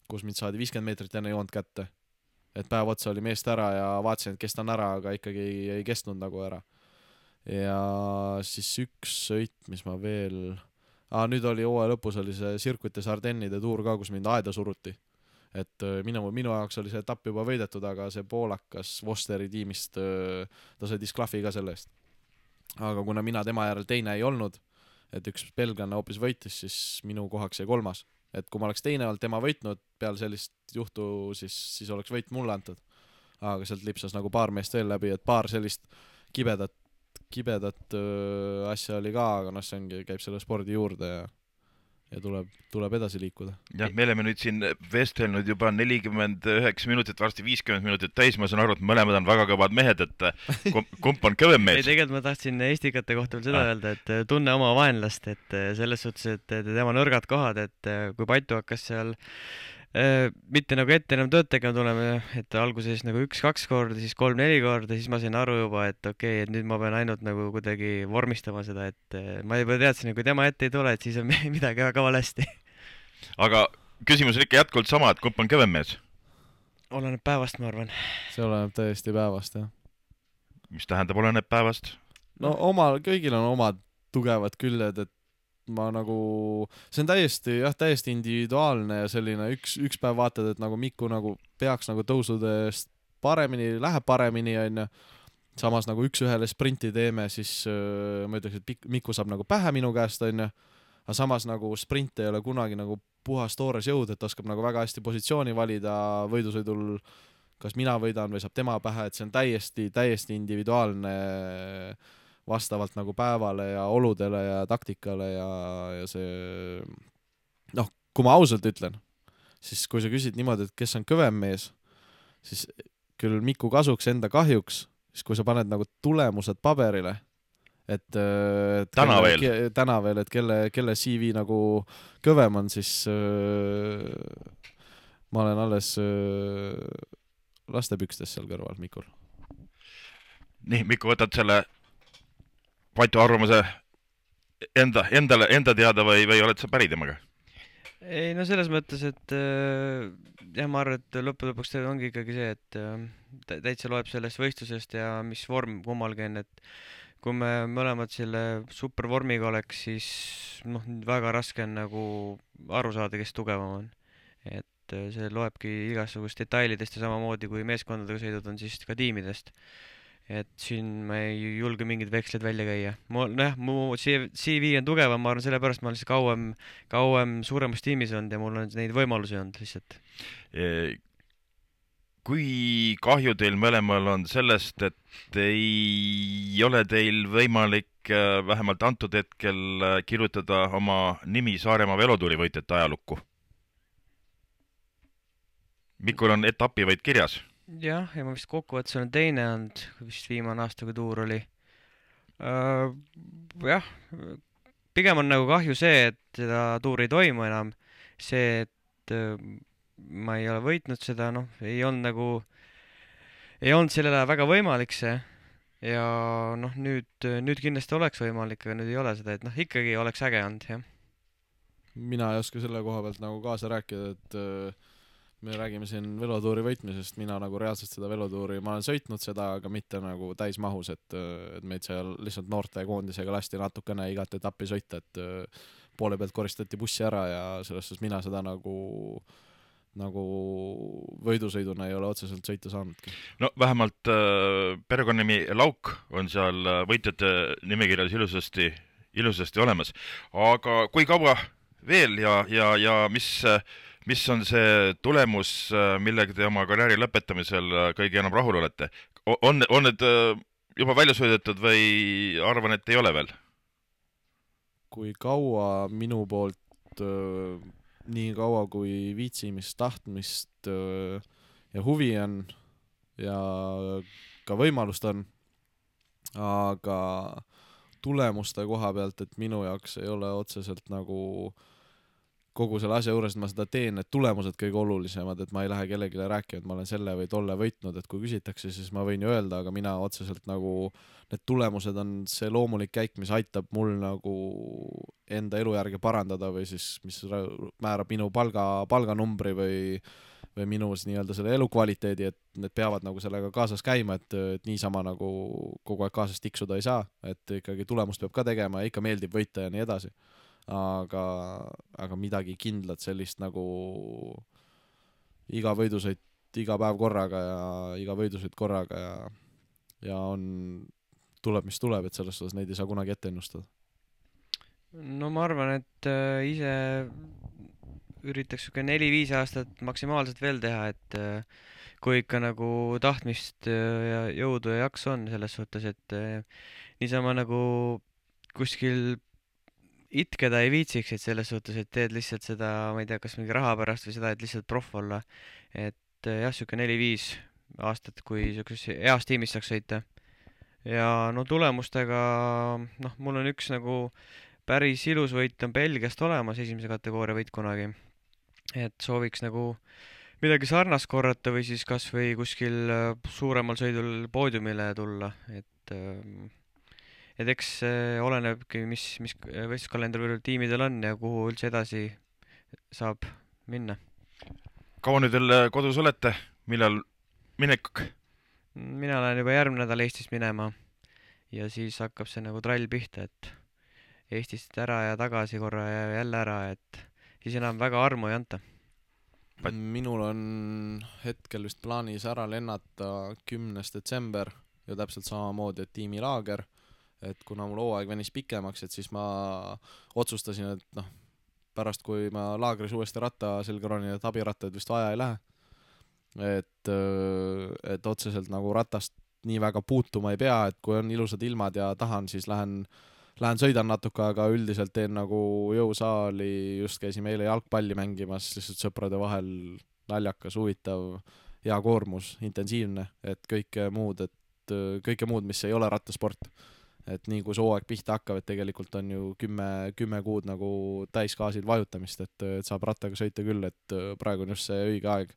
[SPEAKER 3] kus mind saadi viiskümmend meetrit enne joont kätte. Et päev otsa oli meest ära ja vaatasin, et kestan ära, aga ikkagi ei, ei kestnud nagu ära. Ja siis üks sõit, mis ma veel... Ah, nüüd oli hooaja lõpus oli see Circuit des Ardennide tuur ka, kus mind aeda suruti. Et minu, minu jaoks oli see etapp juba võidetud, aga see poolakas Vosteri tiimist, ta sai disklafi ka selle eest. Aga kuna mina tema järel teine ei olnud, et üks belglane hoopis võitis, siis minu kohaks jäi kolmas. Et kui ma oleks teine olnud tema võitnud peale sellist juhtu, siis, siis oleks võit mulle antud. Aga sealt lipsas nagu paar meest veel läbi, et paar sellist kibedat, kibedat äh, asja oli ka, aga noh, see ongi, käib selle spordi juurde ja, ja tuleb, tuleb edasi liikuda.
[SPEAKER 1] Jah, me oleme nüüd siin vestelnud juba nelikümmend üheksa minutit, varsti viiskümmend minutit täis, ma saan aru, et mõlemad on väga kõvad mehed, et kump on kõvem mees?
[SPEAKER 2] Ei, tegelikult ma tahtsin Estikate kohta veel seda ah. öelda, et tunne oma vaenlast, et selles suhtes, et tema nõrgad kohad, et kui Patu hakkas seal äh, mitte nagu ette enam tööd tegema tulema, et alguses nagu üks-kaks korda, siis kolm-neli korda, siis ma sain aru juba, et okei, okay, et nüüd ma pean ainult nagu kuidagi vormistama seda, et ma juba teadsin, et kui tema ette ei tule, et siis on midagi väga valesti.
[SPEAKER 1] aga küsimus on ikka jätkuvalt sama, et kumb on kõvem mees?
[SPEAKER 2] Oleneb päevast, ma arvan.
[SPEAKER 3] see oleneb täiesti päevast, jah.
[SPEAKER 1] Mis tähendab oleneb päevast?
[SPEAKER 3] No omal, kõigil on omad tugevad küljed, et ma nagu, see on täiesti, jah, täiesti individuaalne ja selline üks, üks päev vaatad, et nagu Miku nagu peaks nagu tõusudest paremini, läheb paremini, on ju. Samas nagu üks ühele sprinti teeme, siis äh, ma ütleks, et Miku saab nagu pähe minu käest, on ju. Aga samas nagu sprint ei ole kunagi nagu puhas toores jõud, et oskab nagu väga hästi positsiooni valida võidusõidul, kas mina võidan või saab tema pähe, et see on täiesti, täiesti individuaalne vastavalt nagu päevale ja oludele ja taktikale ja, ja see, noh, kui ma ausalt ütlen, siis kui sa küsid niimoodi, et kes on kõvem mees, siis küll Miku kasuks, enda kahjuks, siis kui sa paned nagu tulemused paberile, et, et
[SPEAKER 1] täna
[SPEAKER 3] kelle,
[SPEAKER 1] veel,
[SPEAKER 3] ke, täna veel, et kelle, kelle C V nagu kõvem on, siis äh, ma olen alles äh, lastepükstes seal kõrval Mikul.
[SPEAKER 1] nii, Miku, võtad selle Patu arvamuse enda, endale, enda teada või, või oled sa päri temaga?
[SPEAKER 2] Ei, no selles mõttes, et äh, jah, ma arvan, et lõppu lõpuks ongi ikkagi see, et äh, täitsa loeb sellest võistlusest ja mis vorm kummalgi on, et kui me mõlemad selle supervormiga oleks, siis noh, väga raske on nagu aru saada, kes tugevam on. Et see loebki igasugust detailidest ja samamoodi kui meeskondadega sõidud on siis ka tiimidest. Et siin ma ei julge mingid vekslid välja käia. Mu, noh, mu C V on tugevam, ma arvan, sellepärast ma olen siis kauem, kauem suuremas tiimis olnud ja mul on neid võimalusi olnud lihtsalt.
[SPEAKER 1] Kui kahju teil mõlemal on sellest, et ei ole teil võimalik vähemalt antud hetkel kirjutada oma nimi Saaremaa velotuuri võitjate ajalukku? Mikul on etapi võit kirjas.
[SPEAKER 2] Jah, ja ma vist kokkuvõttes olen teine olnud, vist viimane aasta, kui tuur oli. Uh, jah, pigem on nagu kahju see, et seda tuuri ei toimu enam. See, et uh, ma ei ole võitnud seda, noh, ei olnud nagu, ei olnud sellele väga võimalik see. Ja noh, nüüd, nüüd kindlasti oleks võimalik, aga nüüd ei ole seda, et noh, ikkagi oleks äge olnud, jah.
[SPEAKER 3] Mina ei oska selle koha pealt nagu kaasa rääkida, et uh... me räägime siin velotuuri võitmisest, mina nagu reaalselt seda velotuuri, ma olen sõitnud seda, aga mitte nagu täismahus, et, et meid seal lihtsalt noorte koondisega lasti natukene igat etappi sõita, et poole pealt koristati bussi ära ja selles suhtes mina seda nagu, nagu võidusõiduna ei ole otseselt sõita saanudki.
[SPEAKER 1] No vähemalt äh, perekonnanimi Lauk on seal võitjate nimekirjas ilusasti, ilusasti olemas. Aga kui kaua veel ja, ja, ja mis... Mis on see tulemus, millega te oma karjääri lõpetamisel kõige enam rahul olete? On, on need juba välja sõidetud või arvan, et ei ole veel?
[SPEAKER 3] Kui kaua minu poolt, nii kaua kui viitsimist, tahtmist ja huvi on ja ka võimalust on, aga tulemuste koha pealt, et minu jaoks ei ole otseselt nagu kogu selle asja juures, et ma seda teen, et tulemused kõige olulisemad, et ma ei lähe kellelegi rääkima, et ma olen selle või tolle võitnud, et kui küsitakse, siis ma võin ju öelda, aga mina otseselt nagu need tulemused on see loomulik käik, mis aitab mul nagu enda elujärge parandada või siis mis määrab minu palga, palganumbri või, või minu nii-öelda selle elukvaliteedi, et need peavad nagu sellega kaasas käima, et, et niisama nagu kogu aeg kaasas tiksuda ei saa, et ikkagi tulemust peab ka tegema ja ikka meeldib võita ja nii edasi. Aga, aga midagi kindlat sellist nagu iga võidusõit, iga päev korraga ja iga võidusõit korraga ja, ja on, tuleb mis tuleb, et selles suhtes neid ei saa kunagi ette ennustada.
[SPEAKER 2] No ma arvan, et äh, ise üritaks siuke neli-viis aastat maksimaalselt veel teha, et äh, kui ikka nagu tahtmist ja jõudu ja jaks on selles suhtes, et äh, niisama nagu kuskil itkeda ei viitsiks, et selles suhtes, et teed lihtsalt seda, ma ei tea, kas mingi raha pärast või seda, et lihtsalt proff olla. Et jah, siuke neli-viis aastat, kui siukses heas tiimis saaks sõita. Ja no tulemustega, noh, mul on üks nagu päris ilus võit on Belgiast olemas, esimese kategooria võit kunagi. Et sooviks nagu midagi sarnast korrata või siis kas või kuskil suuremal sõidul poodiumile tulla, et et eks olenebki, mis, mis võistluskalender tiimidel on ja kuhu üldse edasi saab minna.
[SPEAKER 1] Kaua nüüd veel kodus olete? Millal minek?
[SPEAKER 2] Mina lähen juba järgmine nädal Eestist minema ja siis hakkab see nagu trall pihta, et Eestist ära ja tagasi korra ja jälle ära, et siis enam väga armu ei anta.
[SPEAKER 3] minul on hetkel vist plaanis ära lennata kümnes detsember ja täpselt samamoodi, et tiimilaager, et kuna mul hooaeg venis pikemaks, et siis ma otsustasin, et noh, pärast kui ma laagris uuesti ratta selga ronin, et abirattaid vist vaja ei lähe, et, et otseselt nagu ratast nii väga puutuma ei pea, et kui on ilusad ilmad ja tahan, siis lähen Lähen sõidan natuke, aga üldiselt teen nagu jõusaali, just käisime eile jalgpalli mängimas, lihtsalt sõprade vahel naljakas, huvitav, hea koormus, intensiivne, et kõike muud, et kõike muud, mis ei ole rattasport. Et nii kui see hooaeg pihta hakkab, et tegelikult on ju kümme, kümme kuud nagu täiskaasil vajutamist, et, et saab rattaga sõita küll, et praegu on just see õige aeg,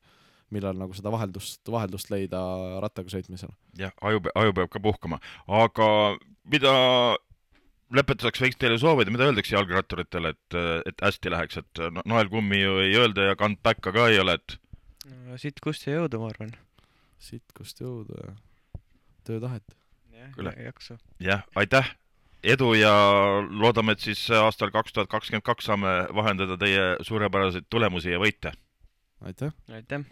[SPEAKER 3] millal nagu seda vaheldust, vaheldust leida rattaga sõitmisel.
[SPEAKER 1] jah, aju, aju peab ka puhkama, aga mida lõpetuseks võiks teile soovida, mida öeldakse jalgratturitele, et, et hästi läheks, et no, naelkummi ju ei öelda ja kandpäkka ka ei ole, et
[SPEAKER 2] no, siit kust ja jõudu, ma arvan.
[SPEAKER 3] Siit kust jõudu ja töötahet.
[SPEAKER 2] Jah, jaksu.
[SPEAKER 1] jah, aitäh, edu ja loodame, et siis aastal kaks tuhat kakskümmend kaks saame vahendada teie suurepäraseid tulemusi ja võite.
[SPEAKER 3] Aitäh!
[SPEAKER 2] Aitäh!